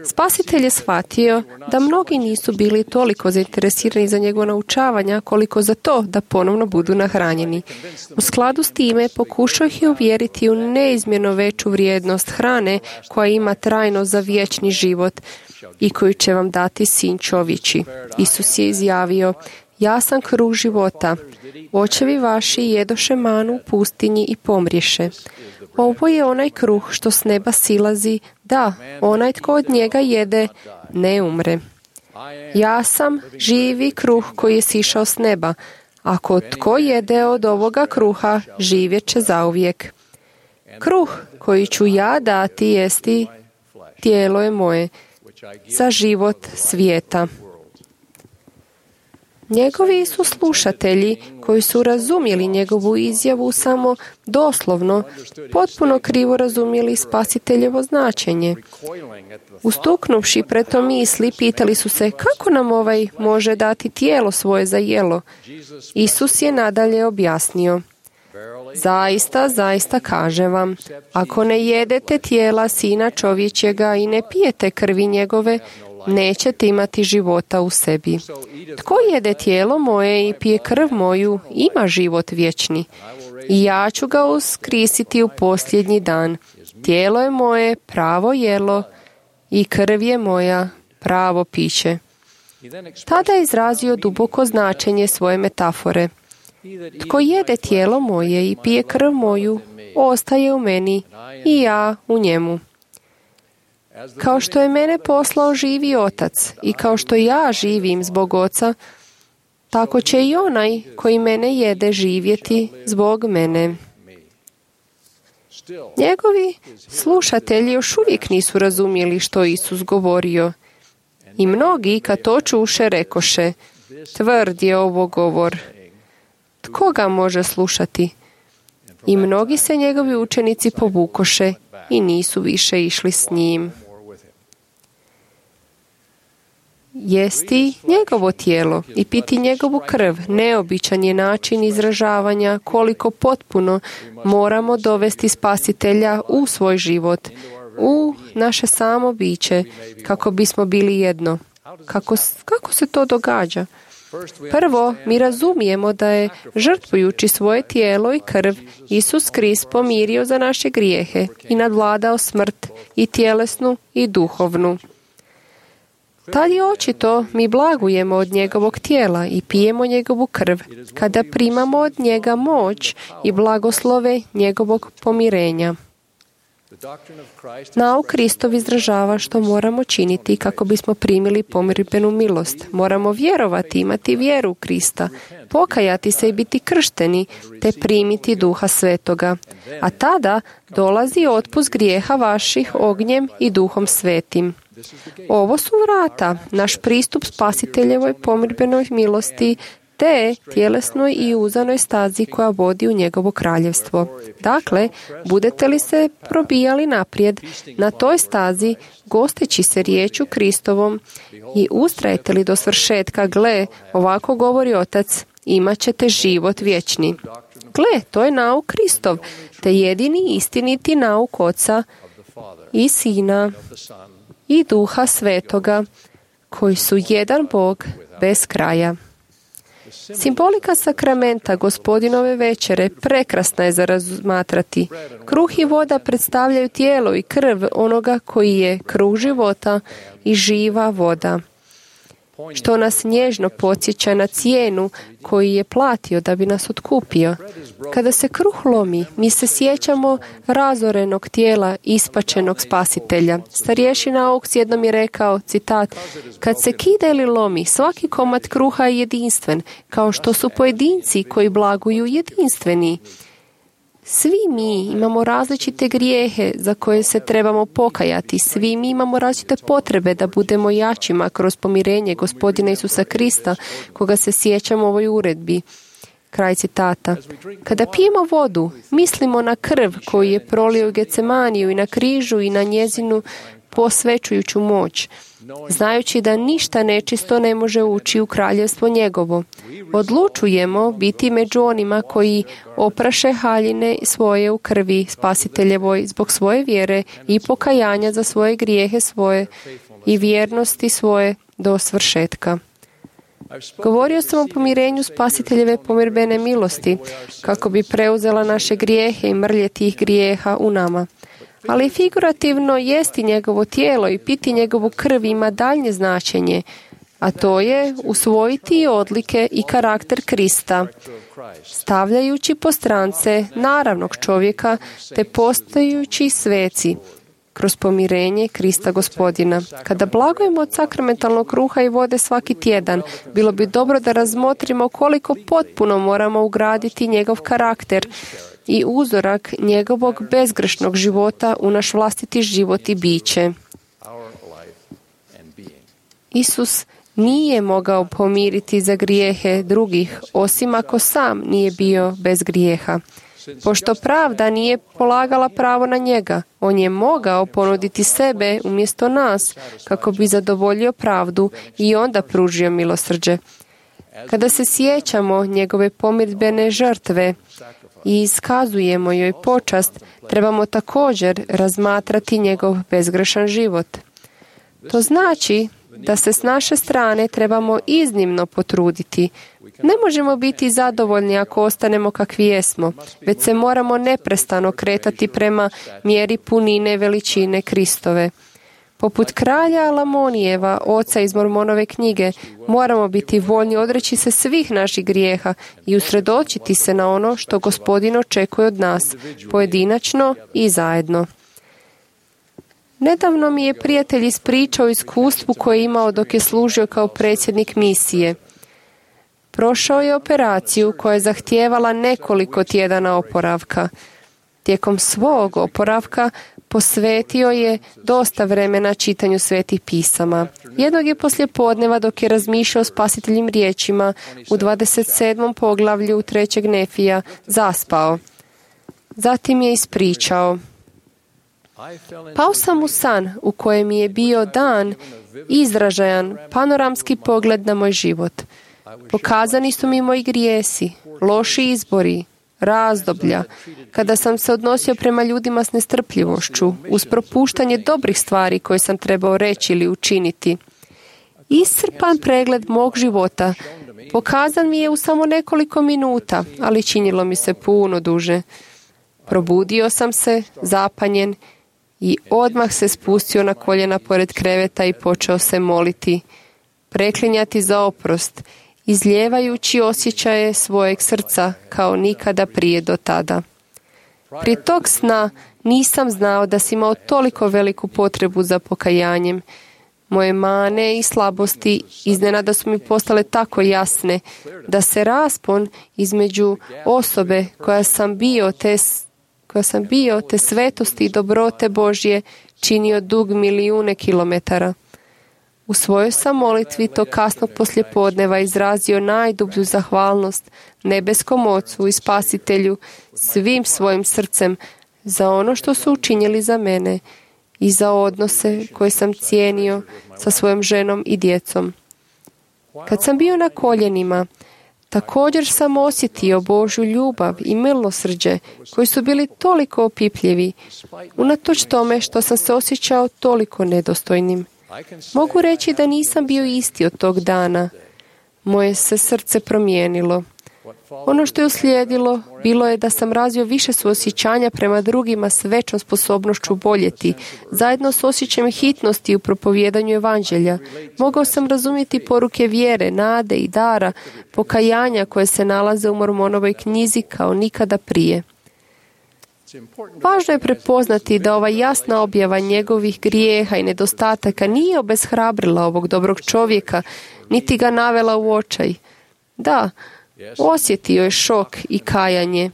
Spasitelj je shvatio da mnogi nisu bili toliko zainteresirani za njegovo naučavanja koliko za to da ponovno budu nahranjeni. U skladu s time pokušao ih je uvjeriti u neizmjerno veću vrijednost hrane koja ima trajno za vječni život i koju će vam dati Sin čovječi. Isus je izjavio: ja sam kruh života. Očevi vaši jedoše manu u pustinji i pomriješe. Ovo je onaj kruh što s neba silazi, da, onaj tko od njega jede ne umre. Ja sam živi kruh koji je sišao s neba. Ako tko jede od ovoga kruha, živjet će zauvijek. Kruh koji ću ja dati jesti tijelo je moje za život svijeta. Njegovi su slušatelji koji su razumjeli njegovu izjavu samo doslovno, potpuno krivo razumjeli spasiteljevo značenje. Ustuknuvši pred to misli, pitali su se kako nam ovaj može dati tijelo svoje za jelo. Isus je nadalje objasnio: zaista, zaista kažem vam, ako ne jedete tijela Sina čovječjega i ne pijete krvi njegove, nećete imati života u sebi. Tko jede tijelo moje i pije krv moju, ima život vječni. I ja ću ga uskrisiti u posljednji dan. Tijelo je moje pravo jelo i krv je moja pravo piće. Tada je izrazio duboko značenje svoje metafore. Tko jede tijelo moje i pije krv moju, ostaje u meni i ja u njemu. Kao što je mene poslao živi otac i kao što ja živim zbog oca, tako će i onaj koji mene jede živjeti zbog mene. Njegovi slušatelji još uvijek nisu razumjeli što Isus govorio. I mnogi, kad to čuše, rekoše, tvrd je ovo govor. Tko ga može slušati? I mnogi se njegovi učenici povukoše i nisu više išli s njim. Jesti njegovo tijelo i piti njegovu krv neobičan je način izražavanja koliko potpuno moramo dovesti Spasitelja u svoj život, u naše samo biće, kako bismo bili jedno. Kako, kako se to događa? Prvo, mi razumijemo da je, žrtvujući svoje tijelo i krv, Isus Krist pomirio za naše grijehe i nadvladao smrt, i tjelesnu i duhovnu. Tad je očito mi blagujemo od njegovog tijela i pijemo njegovu krv, kada primamo od njega moć i blagoslove njegovog pomirenja. Nauk Kristov izražava što moramo činiti kako bismo primili pomirbenu milost. Moramo vjerovati, imati vjeru u Krista, pokajati se i biti kršteni, te primiti Duha Svetoga. A tada dolazi otpust grijeha vaših ognjem i Duhom Svetim. Ovo su vrata, naš pristup Spasiteljevoj pomirbenoj milosti, te tjelesnoj i uzanoj stazi koja vodi u njegovo kraljevstvo. Dakle, budete li se probijali naprijed na toj stazi, gosteći se riječu Kristovom i ustrajete li do svršetka, gle, ovako govori Otac, imat ćete život vječni. Gle, to je nauk Kristov, te jedini istiniti nauk Oca i Sina i Duha Svetoga, koji su jedan Bog bez kraja. Simbolika sakramenta Gospodinove večere prekrasna je za razmatrati. Kruh i voda predstavljaju tijelo i krv onoga koji je kruh života i živa voda, što nas nježno podsjeća na cijenu koju je platio da bi nas otkupio. Kada se kruh lomi, mi se sjećamo razorenog tijela ispačenog Spasitelja. Starješina Oaks jednom je rekao, citat, kad se kida ili lomi, svaki komad kruha je jedinstven, kao što su pojedinci koji blaguju jedinstveni. Svi mi imamo različite grijehe za koje se trebamo pokajati. Svi mi imamo različite potrebe da budemo jačima kroz pomirenje Gospodina Isusa Krista, koga se sjećamo u ovoj uredbi. Kraj citata. Kada pijemo vodu, mislimo na krv koju je prolio u Gecemaniju i na križu i na njezinu posvećujuću moć, znajući da ništa nečisto ne može ući u kraljevstvo njegovo. Odlučujemo biti među onima koji opraše haljine svoje u krvi Spasiteljevoj zbog svoje vjere i pokajanja za svoje grijehe svoje i vjernosti svoje do svršetka. Govorio sam o pomirenju Spasiteljeve pomirbene milosti, kako bi preuzela naše grijehe i mrlje tih grijeha u nama. Ali figurativno jesti njegovo tijelo i piti njegovu krv ima daljnje značenje, a to je usvojiti odlike i karakter Krista, stavljajući po strance naravnog čovjeka te postajući sveci kroz pomirenje Krista Gospodina. Kada blagujemo od sakramentalnog kruha i vode svaki tjedan, bilo bi dobro da razmotrimo koliko potpuno moramo ugraditi njegov karakter i uzorak njegovog bezgrešnog života u naš vlastiti život i biće. Isus nije mogao pomiriti za grijehe drugih, osim ako sam nije bio bez grijeha. Pošto pravda nije polagala pravo na njega, on je mogao ponuditi sebe umjesto nas, kako bi zadovoljio pravdu i onda pružio milosrđe. Kada se sjećamo njegove pomirbene žrtve i iskazujemo joj počast, trebamo također razmatrati njegov bezgrešan život. To znači da se s naše strane trebamo iznimno potruditi. Ne možemo biti zadovoljni ako ostanemo kakvi jesmo, već se moramo neprestano kretati prema mjeri punine veličine Kristove. Poput kralja Alamonijeva, oca iz Mormonove knjige, moramo biti voljni odreći se svih naših grijeha i usredočiti se na ono što Gospodin očekuje od nas, pojedinačno i zajedno. Nedavno mi je prijatelj ispričao iskustvu koje je imao dok je služio kao predsjednik misije. Prošao je operaciju koja je zahtijevala nekoliko tjedana oporavka. Tijekom svog oporavka posvetio je dosta vremena čitanju svetih pisama. Jednog je poslijepodneva dok je razmišljao o spasiteljim riječima u dvadeset sedmom poglavlju trećeg Nefija zaspao. Zatim je ispričao: pao sam u san u kojem mi je bio dan izražajan panoramski pogled na moj život. Pokazani su mi moji grijesi, loši izbori, razdoblja, kada sam se odnosio prema ljudima s nestrpljivošću, uz propuštanje dobrih stvari koje sam trebao reći ili učiniti. Iscrpan pregled mog života pokazan mi je u samo nekoliko minuta, ali činilo mi se puno duže. Probudio sam se, zapanjen, i odmah se spustio na koljena pored kreveta i počeo se moliti, preklinjati za oprost, izlijevajući osjećaje svojeg srca kao nikada prije do tada. Prije tog sna nisam znao da sam imao toliko veliku potrebu za pokajanjem. Moje mane i slabosti iznenada su mi postale tako jasne da se raspon između osobe koja sam bio te koja sam bio te svetosti i dobrote Božje činio dug milijune kilometara. U svojoj sam molitvi to kasnog poslijepodneva izrazio najdublju zahvalnost nebeskom Ocu i Spasitelju svim svojim srcem za ono što su učinili za mene i za odnose koje sam cijenio sa svojom ženom i djecom. Kad sam bio na koljenima, također sam osjetio Božju ljubav i milosrđe koji su bili toliko opipljivi, unatoč tome što sam se osjećao toliko nedostojnim. Mogu reći da nisam bio isti od tog dana. Moje se srce promijenilo. Ono što je uslijedilo bilo je da sam razvio više suosjećanja prema drugima s većom sposobnošću boljeti, zajedno s osjećajem hitnosti u propovjedanju evanđelja. Mogao sam razumjeti poruke vjere, nade i dara, pokajanja koje se nalaze u Mormonovoj knjizi kao nikada prije. Važno je prepoznati da ova jasna objava njegovih grijeha i nedostataka nije obeshrabrila ovog dobrog čovjeka, niti ga navela u očaj. Da, osjetio je šok i kajanje.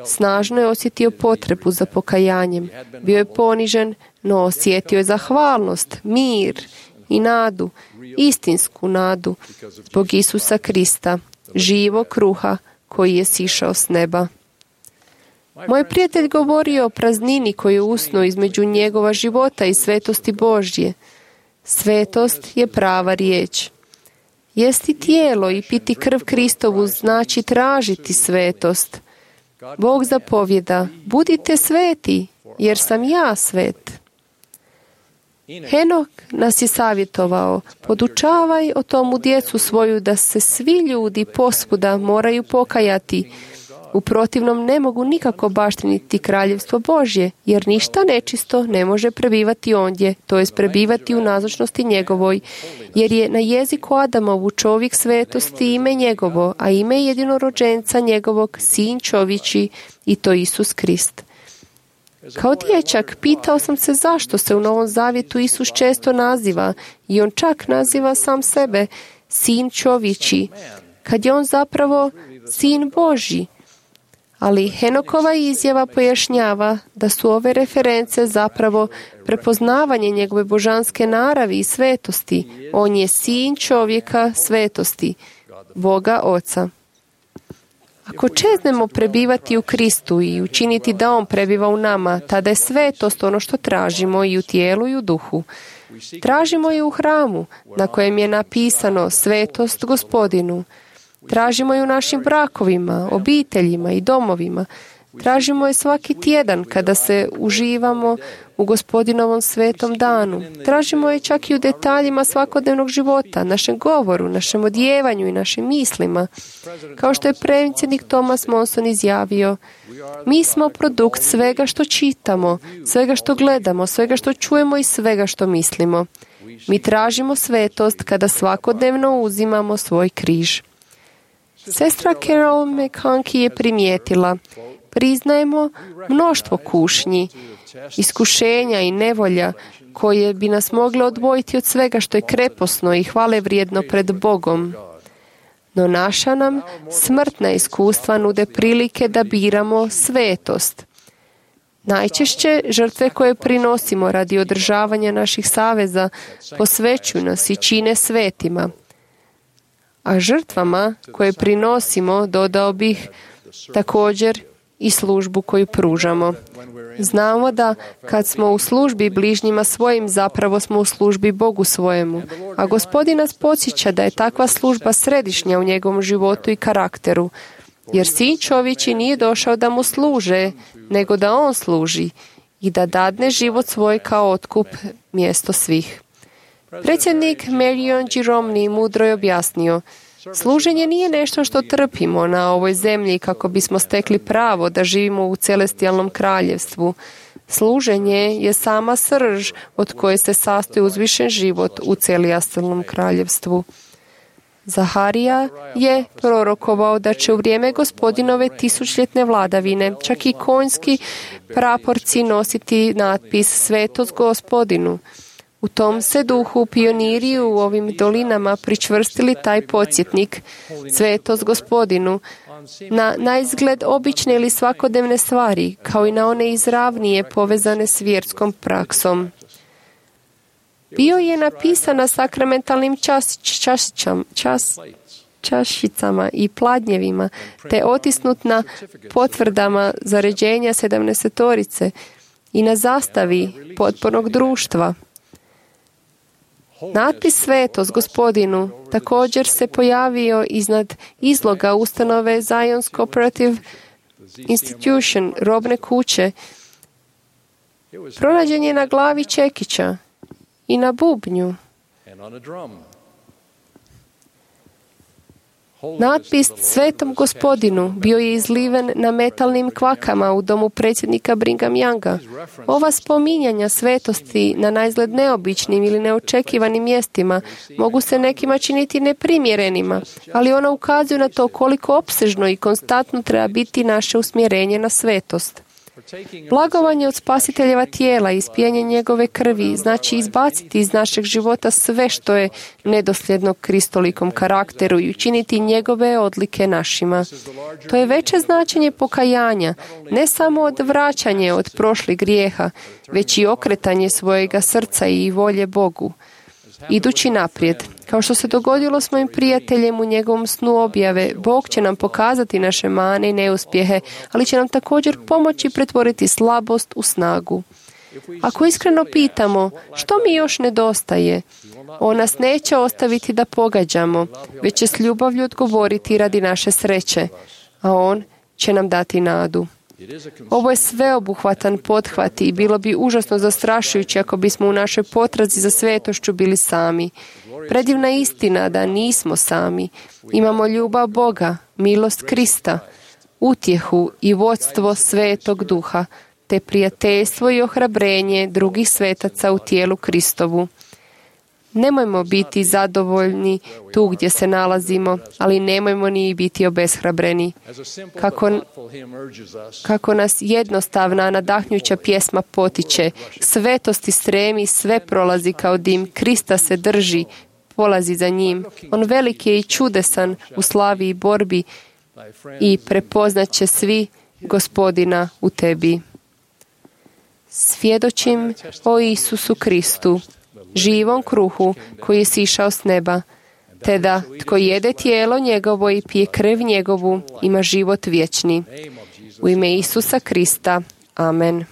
Snažno je osjetio potrebu za pokajanjem. Bio je ponižen, no osjetio je zahvalnost, mir i nadu, istinsku nadu, zbog Isusa Krista, živog kruha koji je sišao s neba. Moj prijatelj govorio o praznini koju usnu između njegova života i svetosti Božje. Svetost je prava riječ. Jesti tijelo i piti krv Kristovu znači tražiti svetost. Bog zapovjeda, budite sveti, jer sam ja svet. Henok nas je savjetovao, podučavaj o tomu djecu svoju da se svi ljudi posvuda moraju pokajati. U protivnom ne mogu nikako baštiniti kraljevstvo Božje, jer ništa nečisto ne može prebivati ondje, to jest prebivati u nazočnosti njegovoj, jer je na jeziku Adamovu čovjek svetosti ime njegovo, a ime jedinorođenca njegovog sin čovječi, i to Isus Krist. Kao dječak pitao sam se zašto se u Novom Zavjetu Isus često naziva, i on čak naziva sam sebe sin čovječi, kad je on zapravo sin Božji. Ali Henokova izjava pojašnjava da su ove reference zapravo prepoznavanje njegove božanske naravi i svetosti. On je sin čovjeka svetosti, Boga Oca. Ako čeznemo prebivati u Kristu i učiniti da On prebiva u nama, tada je svetost ono što tražimo i u tijelu i u duhu. Tražimo je u hramu, na kojem je napisano svetost Gospodinu. Tražimo je u našim brakovima, obiteljima i domovima. Tražimo je svaki tjedan kada se uživamo u Gospodinovom svetom danu. Tražimo je čak i u detaljima svakodnevnog života, našem govoru, našem odjevanju i našim mislima. Kao što je predsjednik Thomas Monson izjavio, mi smo produkt svega što čitamo, svega što gledamo, svega što čujemo i svega što mislimo. Mi tražimo svetost kada svakodnevno uzimamo svoj križ. Sestra Carol McConkie je primijetila, priznajemo mnoštvo kušnji, iskušenja i nevolja koje bi nas mogle odvojiti od svega što je kreposno i hvale vrijedno pred Bogom. No naša nam smrtna iskustva nude prilike da biramo svetost. Najčešće žrtve koje prinosimo radi održavanja naših saveza posvećuju nas i čine svetima. A žrtvama koje prinosimo dodao bih također i službu koju pružamo. Znamo da kad smo u službi bližnjima svojim, zapravo smo u službi Bogu svojemu. A Gospodin nas podsjeća da je takva služba središnja u njegovom životu i karakteru. Jer sin čovječi nije došao da mu služe, nego da on služi i da dadne život svoj kao otkup mjesto svih. Predsjednik Marion Giromni mudro je objasnio, služenje nije nešto što trpimo na ovoj zemlji kako bismo stekli pravo da živimo u celestijalnom kraljevstvu. Služenje je sama srž od koje se sastoji uzvišen život u celestijalnom kraljevstvu. Zaharija je prorokovao da će u vrijeme Gospodinove tisućljetne vladavine čak i konjski praporci nositi natpis Svetost Gospodinu. U tom se duhu pioniri u ovim dolinama pričvrstili taj podsjetnik, svetost Gospodinu, na naizgled obične ili svakodnevne stvari, kao i na one izravnije povezane s vjerskom praksom. Bio je napisan na sakramentalnim čas, čašćam, čas, čašicama i pladnjevima, te otisnut na potvrdama zaređenja sedamnaestorice i na zastavi potpornog društva. Natpis Svetost Gospodinu također se pojavio iznad izloga ustanove Zion's Cooperative Institution, robne kuće. Pronađen je na glavi čekića i na bubnju. Natpis Svetom Gospodinu bio je izliven na metalnim kvakama u domu predsjednika Brigham Younga. Ova spominjanja svetosti na naizgled neobičnim ili neočekivanim mjestima mogu se nekima činiti neprimjerenima, ali ona ukazuju na to koliko opsežno i konstantno treba biti naše usmjerenje na svetost. Blagovanje od spasiteljeva tijela i ispijanje njegove krvi znači izbaciti iz našeg života sve što je nedosljedno kristolikom karakteru i učiniti njegove odlike našima. To je veće značenje pokajanja, ne samo od vraćanje od prošlih grijeha, već i okretanje svojega srca i volje Bogu. Idući naprijed, kao što se dogodilo s mojim prijateljem u njegovom snu objave, Bog će nam pokazati naše mane i neuspjehe, ali će nam također pomoći pretvoriti slabost u snagu. Ako iskreno pitamo što mi još nedostaje, on nas neće ostaviti da pogađamo, već će s ljubavlju odgovoriti radi naše sreće, a on će nam dati nadu. Ovo je sveobuhvatan pothvat i bilo bi užasno zastrašujuće ako bismo u našoj potrazi za svetošću bili sami. Predivna istina da nismo sami. Imamo ljubav Boga, milost Krista, utjehu i vodstvo Svetog Duha, te prijateljstvo i ohrabrenje drugih svetaca u tijelu Kristovu. Nemojmo biti zadovoljni tu gdje se nalazimo, ali nemojmo ni biti obeshrabreni. Kako, kako nas jednostavna, nadahnjuća pjesma potiče, svetosti stremi, sve prolazi kao dim, Krista se drži, polazi za njim. On veliki je i čudesan u slavi i borbi i prepoznat će svi Gospodina u tebi. Svjedočim o Isusu Kristu, živom kruhu koji je sišao s neba, te da tko jede tijelo njegovo i pije krv njegovu ima život vječni. U ime Isusa Krista. Amen.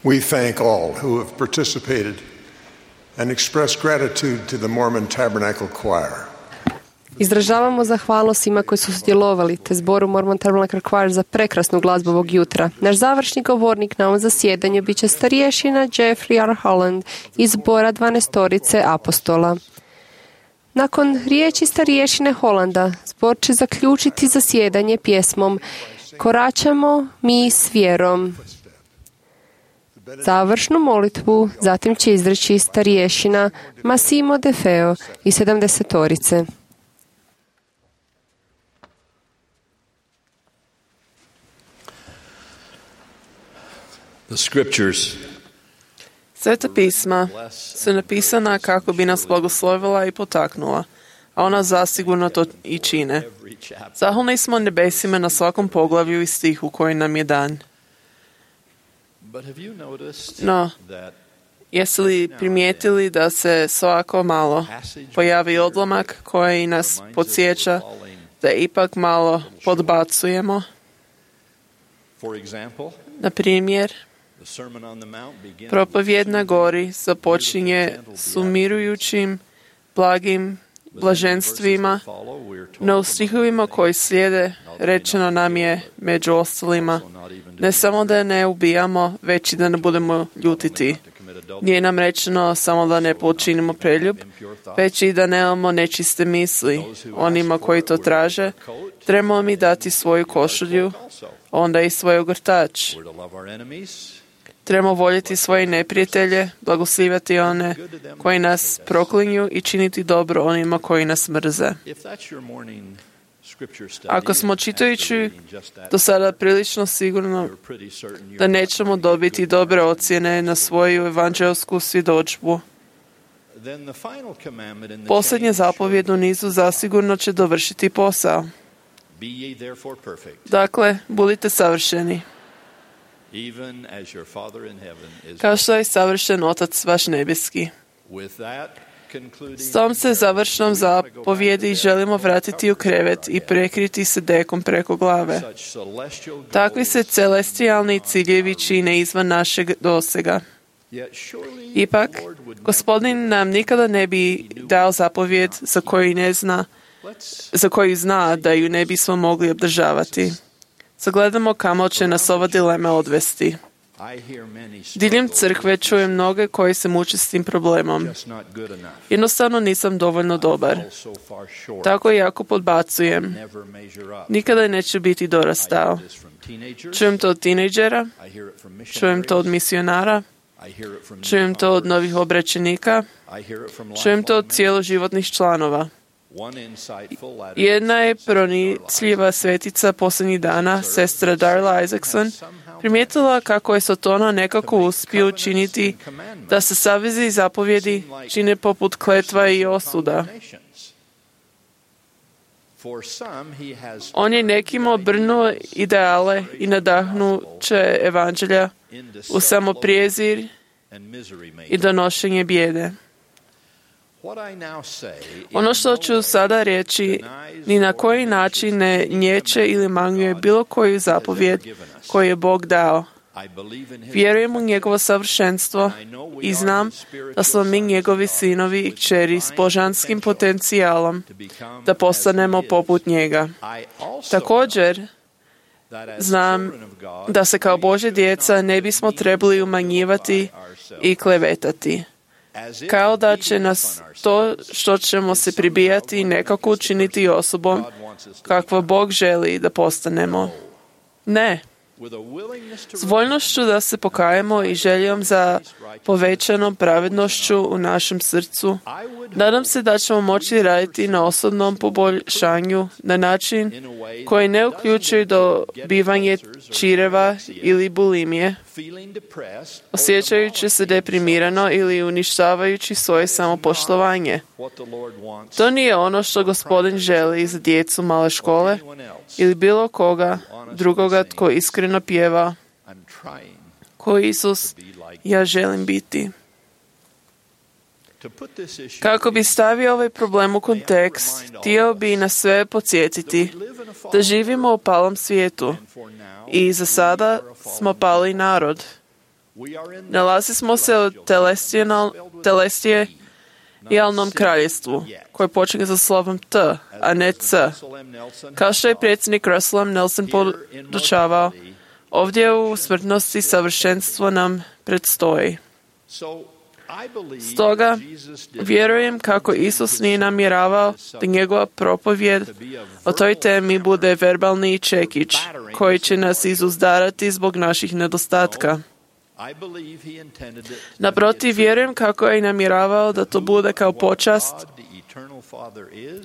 We thank all who have participated and express gratitude to the Mormon Tabernacle Choir. Izražavamo zahvalnost svima koji su sudjelovali, te zboru Mormon Tabernacle Choir za prekrasnu glazbu ovog jutra. Naš završni govornik na ovom zasjedanju bit će starješina Jeffrey R. Holland iz zbora dvanaestorice apostola. Nakon riječi starješine Hollanda, zbor će zaključiti zasjedanje pjesmom Koračamo mi s vjerom. Završnu molitvu zatim će izreći starješina Massimo De Feo iz sedamdesetorice. The scriptures Sveta pisma su napisana kako bi nas blagoslovila i potaknula, a ona zasigurno to i čine. Zahvalni smo nebesima na svakom poglavlju i stihu koji nam je dan. No, jeste li primijetili da se svako malo pojavi odlomak koji nas podsjeća da ipak malo podbacujemo? Na primjer, propovjed na gori započinje s umirujućim, blagim blaženstvima, no u stihovima koji slijede rečeno nam je među ostalima ne samo da ne ubijamo, već i da ne budemo ljutiti. Nije nam rečeno samo da ne počinimo preljub, već i da nemamo nečiste misli. Onima koji to traže, trebamo mi dati svoju košulju, onda i svoj ogrtač. Trebamo voljeti svoje neprijatelje, blagoslivati one koji nas proklinju i činiti dobro onima koji nas mrze. Ako smo čitajući do sada prilično sigurno da nećemo dobiti dobre ocjene na svoju evanđelsku svjedodžbu, posljednja zapovjed u nizu zasigurno će dovršiti posao. Dakle, budite savršeni, kao što je savršen Otac vaš nebeski. S tom se završnom zapovjedi želimo vratiti u krevet i prekriti se dekom preko glave. Takvi se celestijalni ciljevi čine izvan našeg dosega. Ipak, Gospodin nam nikada ne bi dao zapovjed za koju ne zna, za koju zna da ju ne bismo mogli obdržavati. Sagledamo kamo će nas ova dilema odvesti. Diljem crkve čujem mnoge koji se muče s tim problemom. Jednostavno nisam dovoljno dobar. Tako i ako podbacujem, nikada neću biti dorastao. Čujem to od tinejdžera, čujem to od misionara, čujem to od novih obraćenika, čujem to od cijeloživotnih članova. Jedna je pronicljiva svetica posljednjih dana, sestra Darla Isaacson, primijetila kako je Sotona nekako uspio učiniti da se savezi i zapovjedi čine poput kletva i osuda. On je nekima obrnuo ideale i nadahnuće evanđelja u samoprijezir i donošenje bijede. Ono što ću sada reći ni na koji način ne nječe ili manguje bilo koju zapovjed koju je Bog dao. Vjerujem u njegovo savršenstvo i znam da smo mi njegovi sinovi i kćeri s božanskim potencijalom da postanemo poput njega. Također, znam da se kao Božja djeca ne bismo trebali umanjivati i klevetati, kao da će nas to što ćemo se pribijati nekako učiniti osobom kakva Bog želi da postanemo. Ne. S voljnošću da se pokajemo i željom za povećanom pravednošću u našem srcu, nadam se da ćemo moći raditi na osobnom poboljšanju na način koji ne uključuje dobivanje čireva ili bulimije, osjećajući se deprimirano ili uništavajući svoje samopoštovanje. To nije ono što Gospodin želi za djecu male škole ili bilo koga drugoga tko iskreno pjeva: ko Isus, ja želim biti. Kako bi stavio ovaj problem u kontekst, htio bi nas sve podsjetiti da živimo u palom svijetu i za sada smo pali narod. Nalazimo se u telestijalnom kraljestvu, koje počinje sa slovom T, a ne C. Kao što je predsjednik Russell Nelson podučavao, ovdje u smrtnosti savršenstvo nam predstoji. Stoga, vjerujem kako Isus nije namjeravao da njegova propovjed o toj temi bude verbalni čekić koji će nas izuzdarati zbog naših nedostatka. Naprotiv, vjerujem kako je namjeravao da to bude kao počast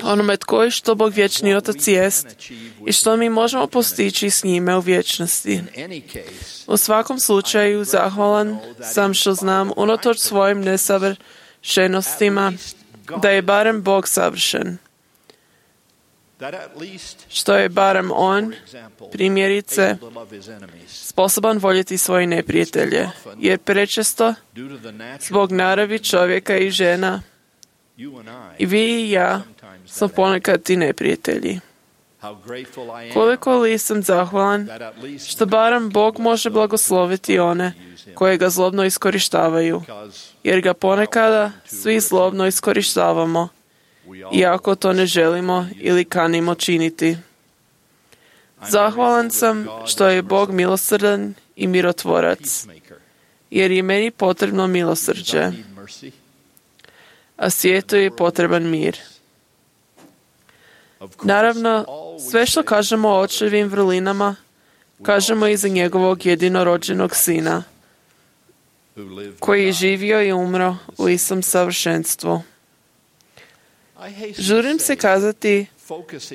onome tko je što Bog vječni Otac jest i što mi možemo postići s njime u vječnosti. U svakom slučaju, zahvalan sam što znam, unatoč svojim nesavršenostima, da je barem Bog savršen. Što je barem On, primjerice, sposoban voljeti svoje neprijatelje, jer prečesto, zbog naravi čovjeka i žena, i vi i ja smo ponekad ti neprijatelji. Koliko li sam zahvalan što barem Bog može blagosloviti one koje ga zlobno iskorištavaju, jer ga ponekada svi zlobno iskorištavamo, iako to ne želimo ili kanimo činiti. Zahvalan sam što je Bog milosrdan i mirotvorac, jer je meni potrebno milosrđe, a svijetu je potreban mir. Naravno, sve što kažemo o očevim vrlinama, kažemo i za njegovog jedinorođenog sina, koji je živio i umro u istom savršenstvu. Žurim se kazati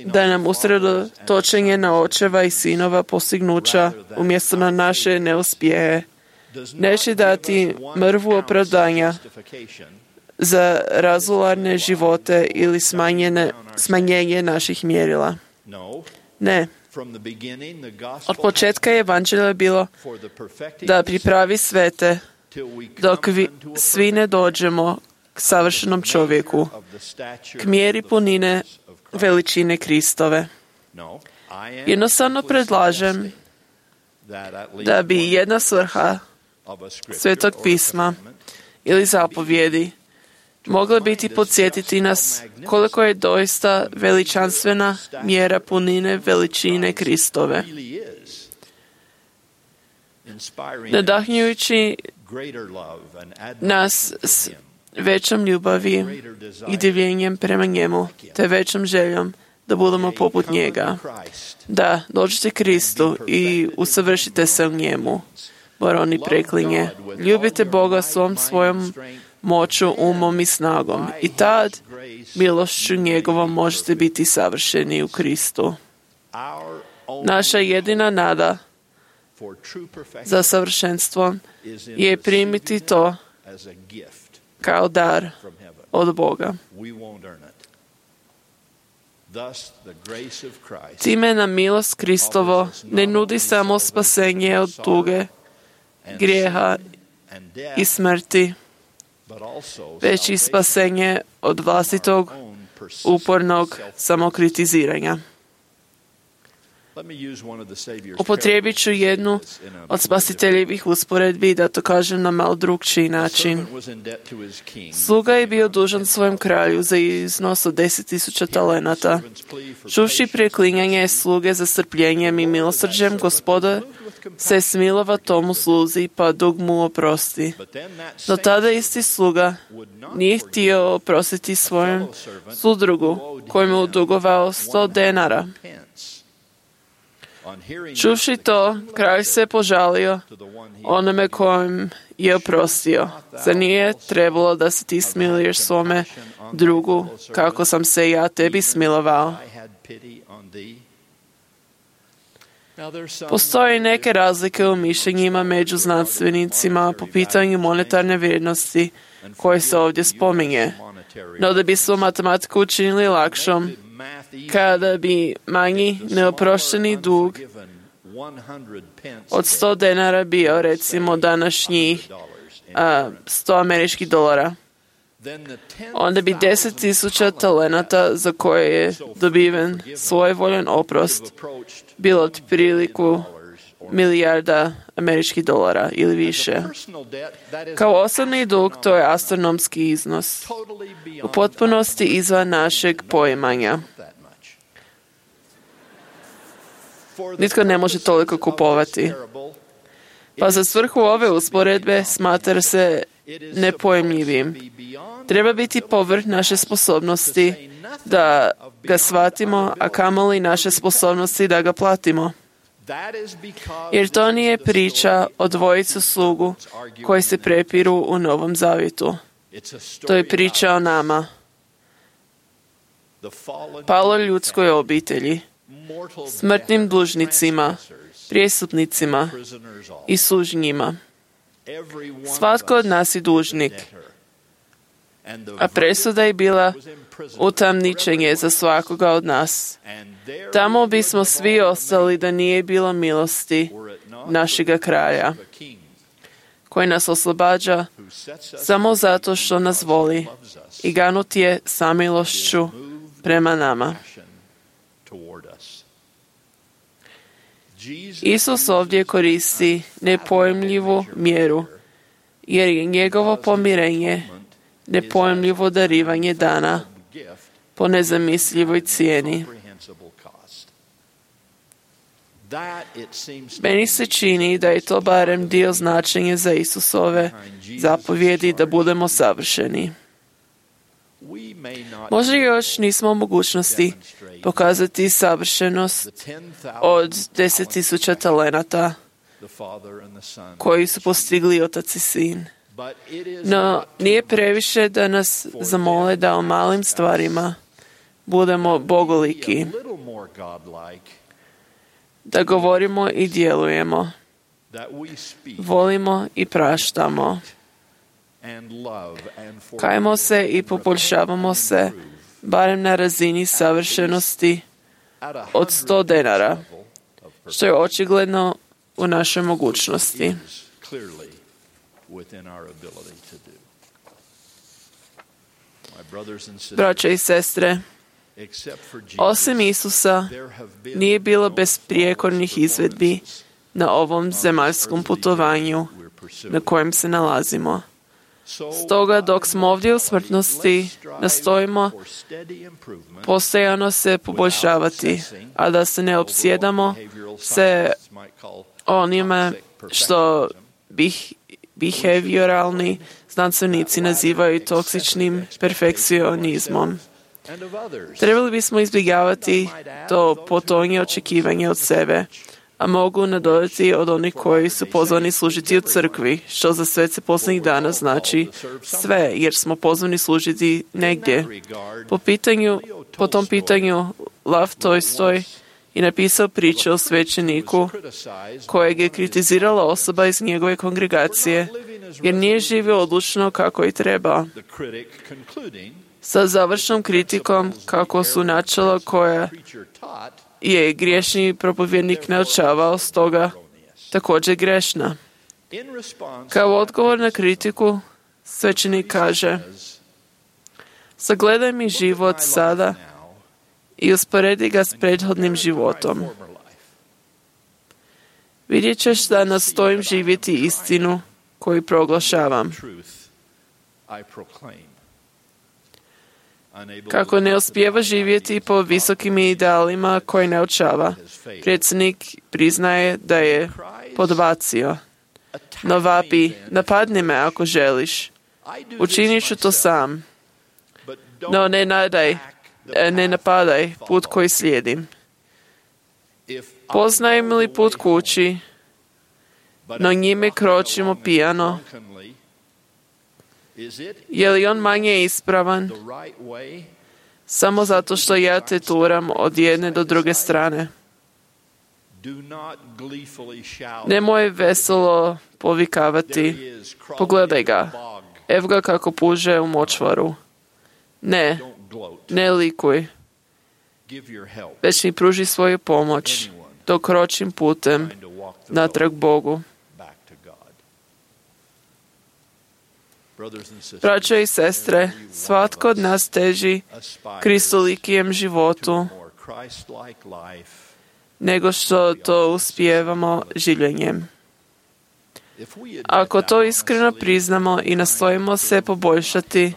da nam usredotočenje na očeva i sinova postignuća umjesto na naše neuspjehe neće dati mrvu opravdanja za razularne živote ili smanjene, smanjenje naših mjerila. Ne. Od početka je evanđelje bilo da pripravi svete dok vi, svi ne dođemo k savršenom čovjeku, k mjeri punine veličine Kristove. Jednostavno predlažem da bi jedna svrha Svetog pisma ili zapovjedi mogla biti podsjetiti nas koliko je doista veličanstvena mjera punine veličine Kristove. Nadahnjujući nas s većom ljubavi i divljenjem prema njemu, te većom željom da budemo poput njega. Da, dođite Kristu i usavršite se u njemu. Baroni preklinje. Ljubite Boga svom svojom moću, umom i snagom. I tad, milošću njegovom, možete biti savršeni u Kristu. Naša jedina nada za savršenstvo je primiti to kao dar od Boga. Time nam milost Kristovo ne nudi samo spasenje od tuge, grijeha i smrti, već i spasenje od vlastitog upornog samokritiziranja. Upotrijebit ću jednu od spasiteljevih usporedbi da to kažem na malo drugčiji način. Sluga je bio dužan svojem kralju za iznos od deset tisuća talenata. Čuvši preklinjanje sluge za strpljenjem i milosrđem, Gospoda se smilova tomu sluzi pa dug mu oprosti. No tada isti sluga nije htio oprostiti svojem sudrugu koji mu dugovao sto denara. Čuvši to, kralj se požalio onome kojem je oprostio. Zar nije trebalo da se ti smiluješ svome drugu, kako sam se ja tebi smilovao? Postoje neke razlike u mišljenjima među znanstvenicima po pitanju monetarne vrijednosti koje se ovdje spominje. No da bismo matematiku učinili lakšom, kada bi manji neoprošteni dug od sto denara bio, recimo, današnjih a, sto američkih dolara, onda bi deset tisuća talenata za koje je dobiven svojevoljan oprost bilo otpriliku milijarda američkih dolara ili više. Kao osobni dug to je astronomski iznos, u potpunosti izvan našeg poimanja. Nitko ne može toliko kupovati. Pa za svrhu ove usporedbe smatra se nepojmljivim. Treba biti povrh naše sposobnosti da ga shvatimo, a kamoli naše sposobnosti da ga platimo. Jer to nije priča o dvojicu slugu koji se prepiru u Novom Zavjetu. To je priča o nama, paloj ljudskoj obitelji, smrtnim dužnicima, prijestupnicima i sužnjima. Svatko od nas je dužnik, a presuda je bila utamničenje za svakoga od nas. Tamo bismo svi ostali da nije bilo milosti našega kraja, koji nas oslobađa samo zato što nas voli i ganut je samilošću prema nama. Isus ovdje koristi nepojmljivu mjeru, jer je njegovo pomirenje nepojmljivo darivanje dana po nezamislivoj cijeni. Meni se čini da je to barem dio značenja za Isusove zapovjedi da budemo savršeni. Možda još nismo u mogućnosti pokazati savršenost od deset tisuća talenata koji su postigli otac i sin. No, nije previše da nas zamole da o malim stvarima budemo bogoliki, da govorimo i djelujemo, volimo i praštamo, kajemo se i poboljšavamo se, barem na razini savršenosti od sto denara, što je očigledno u našoj mogućnosti. Braće i sestre, osim Isusa nije bilo besprijekornih izvedbi na ovom zemaljskom putovanju na kojem se nalazimo. Stoga dok smo ovdje u smrtnosti, nastojimo postojano se poboljšavati, a da se ne opsjedamo se onime što bih behavioralni znanstvenici nazivaju toksičnim perfekcionizmom. Trebali bismo izbjegavati to potonje očekivanje od sebe, a mogu nadodati od onih koji su pozvani služiti u crkvi, što za svece posljednjih dana znači sve, jer smo pozvani služiti negdje. Po, pitanju, po tom pitanju Lev Tolstoj je napisao priču o svećeniku kojeg je kritizirala osoba iz njegove kongregacije, jer nije živio odlučno kako i treba. Sa završnom kritikom kako su načela koja je griješni propovjednik naučavao, stoga također grešna. Kao odgovor na kritiku, svećenik kaže: sagledaj mi život sada i usporedi ga s prethodnim životom. Vidjet ćeš da nastojim živjeti istinu koju proglašavam. Kako ne uspijeva živjeti po visokim idealima koje naučava, predsjednik priznaje da je podbacio. No vapi, napadni me ako želiš. Učinit ću to sam. No ne nadaj, ne napadaj put koji slijedim. Poznajem li put kući, no njime kročimo pijano? Je li on manje ispravan samo zato što ja te turam od jedne do druge strane? Nemoj veselo povikavati: pogledaj ga, ev ga kako puže u močvaru. Ne, ne likuj, već mi pruži svoju pomoć dok kročim putem natrag Bogu. Braćo i sestre, svatko od nas teži kristolikijem životu, nego što to uspijevamo življenjem. Ako to iskreno priznamo i nastojimo se poboljšati,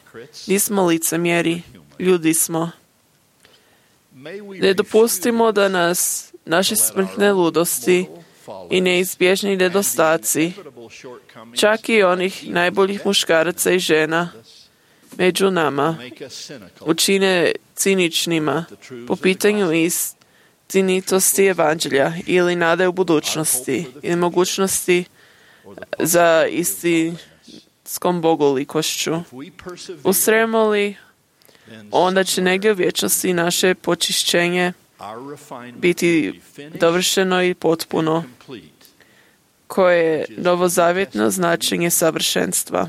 nismo licemjeri, ljudi smo. Ne dopustimo da nas naše smrtne ludosti i neizbježni nedostaci, čak i onih najboljih muškaraca i žena među nama, učine ciničnima po pitanju istinitosti evanđelja ili nade u budućnosti ili mogućnosti za istinskom bogolikošću. Ustrajemo li, onda će negdje u vječnosti naše počišćenje biti dovršeno i potpuno, koje je novozavjetno značenje savršenstva.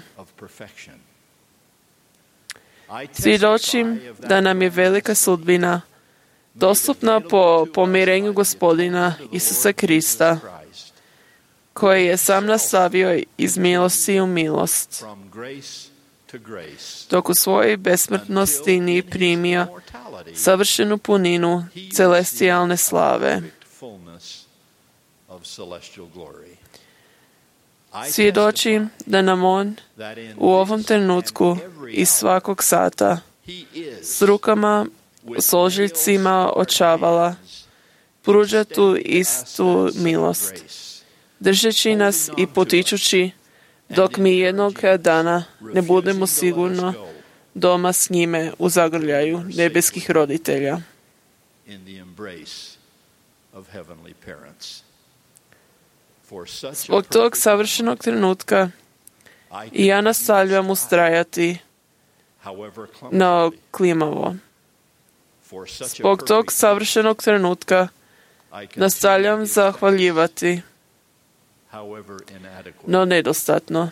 Svjedočim da nam je velika sudbina dostupna po pomirenju Gospodina Isusa Krista, koji je sam nastavio iz milosti u milost, dok u svojoj besmrtnosti nije primio savršenu puninu celestijalne slave. Svjedočim da nam on u ovom trenutku i svakog sata s rukama, s ožiljcima očavala pruža tu istu milost, držeći nas i potičući dok mi jednog dana ne budemo sigurno doma s njime u zagrljaju nebeskih roditelja. Zbog tog savršenog trenutka i ja nastavljam ustrajati na klimavo. Zbog tog savršenog trenutka nastavljam zahvaljivati, no nedostatno.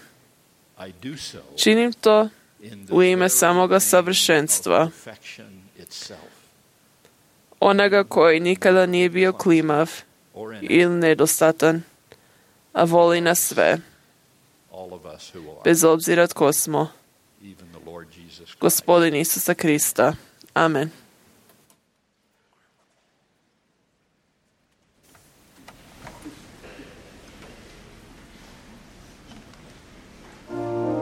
Činim to u ime samoga savršenstva, onoga koji nikada nije bio klimav ili nedostatan, a voli nas sve, bez obzira tko smo. Gospodin Isusa Krista. Amen. That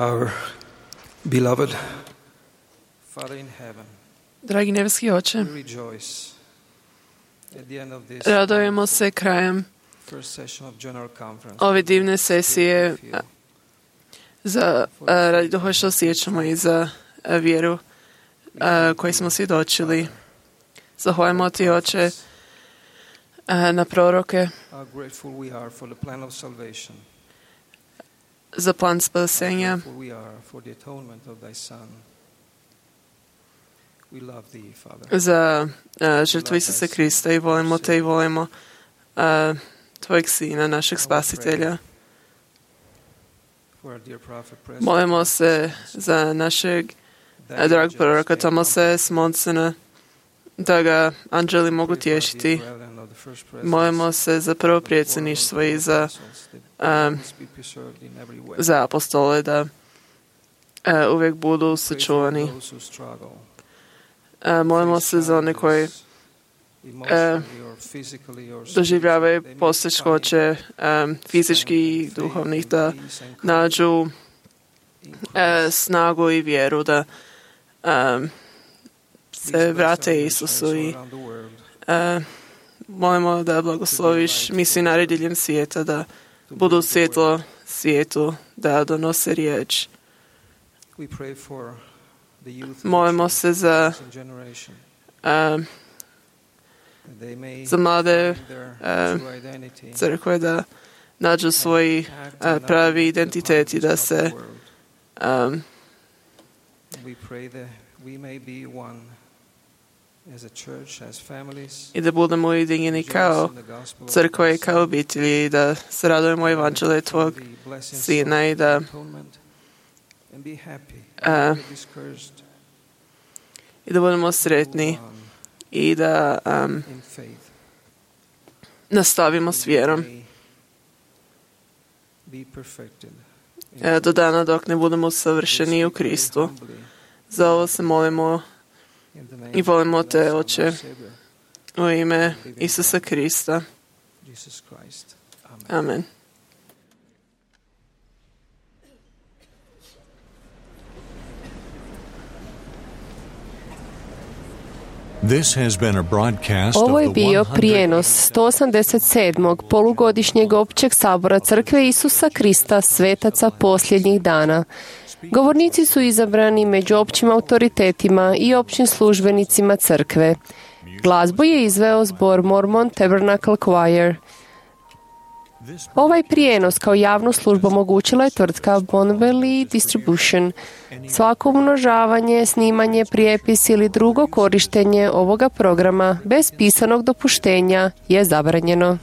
Our beloved Father in heaven, Dragi nebeski Oče, we rejoice at the end of this radujemo se krajem first session of General Conference. ove divne sesije a, za a, radi duha što osjećamo i za a, vjeru a, koju smo svjedočili. Zahvaljujemo ti, Oče, a, na proroke, How grateful we are for the plan of salvation. za plan spasenja, How grateful we are for the atonement of thy Son. We love thee, Father. za a, žrtvu Isusa Krista i volimo te i volimo a, tvojeg Sina, našeg Spasitelja. For our dear prophet, President, Molimo se za našeg a, dragog proroka Tomasa Smonsena, da ga anđeli mogu tješiti. Molimo se za prvo predsjedništvo i za, a, za apostole da a, uvijek budu sačuvani. A, molimo se za one koji a, doživljavaju poteškoće fizički i duhovnih, da nađu a, snagu i vjeru da a, se vrate Isusu i a, molimo da blagosloviš misionare diljem svijeta, da budu svjetlo svijetu, da donose riječ. Molimo se za a, za mlade a, crkve da nađu svoj a, pravi identitet i da se a, i da budemo ujedinjeni kao crkva i kao obitelji i da se radujemo evanđelju tvog Sina i da a, i da budemo sretni i da um, nastavimo s vjerom e, do dana dok ne budemo savršeni u Kristu. Za ovo se molimo i volimo te, Oče, u ime Isusa Krista. Amen. This has been a broadcast Ovo je of the bio prijenos sto osamdeset sedmog polugodišnjeg općeg sabora Crkve Isusa Krista svetaca posljednjih dana. Govornici su izabrani među općim autoritetima i općim službenicima Crkve. Glazbu je izveo zbor Mormon Tabernacle Choir. Ovaj prijenos kao javnu službu omogućila je tvrtka Bonbelli Distribution. Svako umnožavanje, snimanje, prijepis ili drugo korištenje ovoga programa bez pisanog dopuštenja je zabranjeno.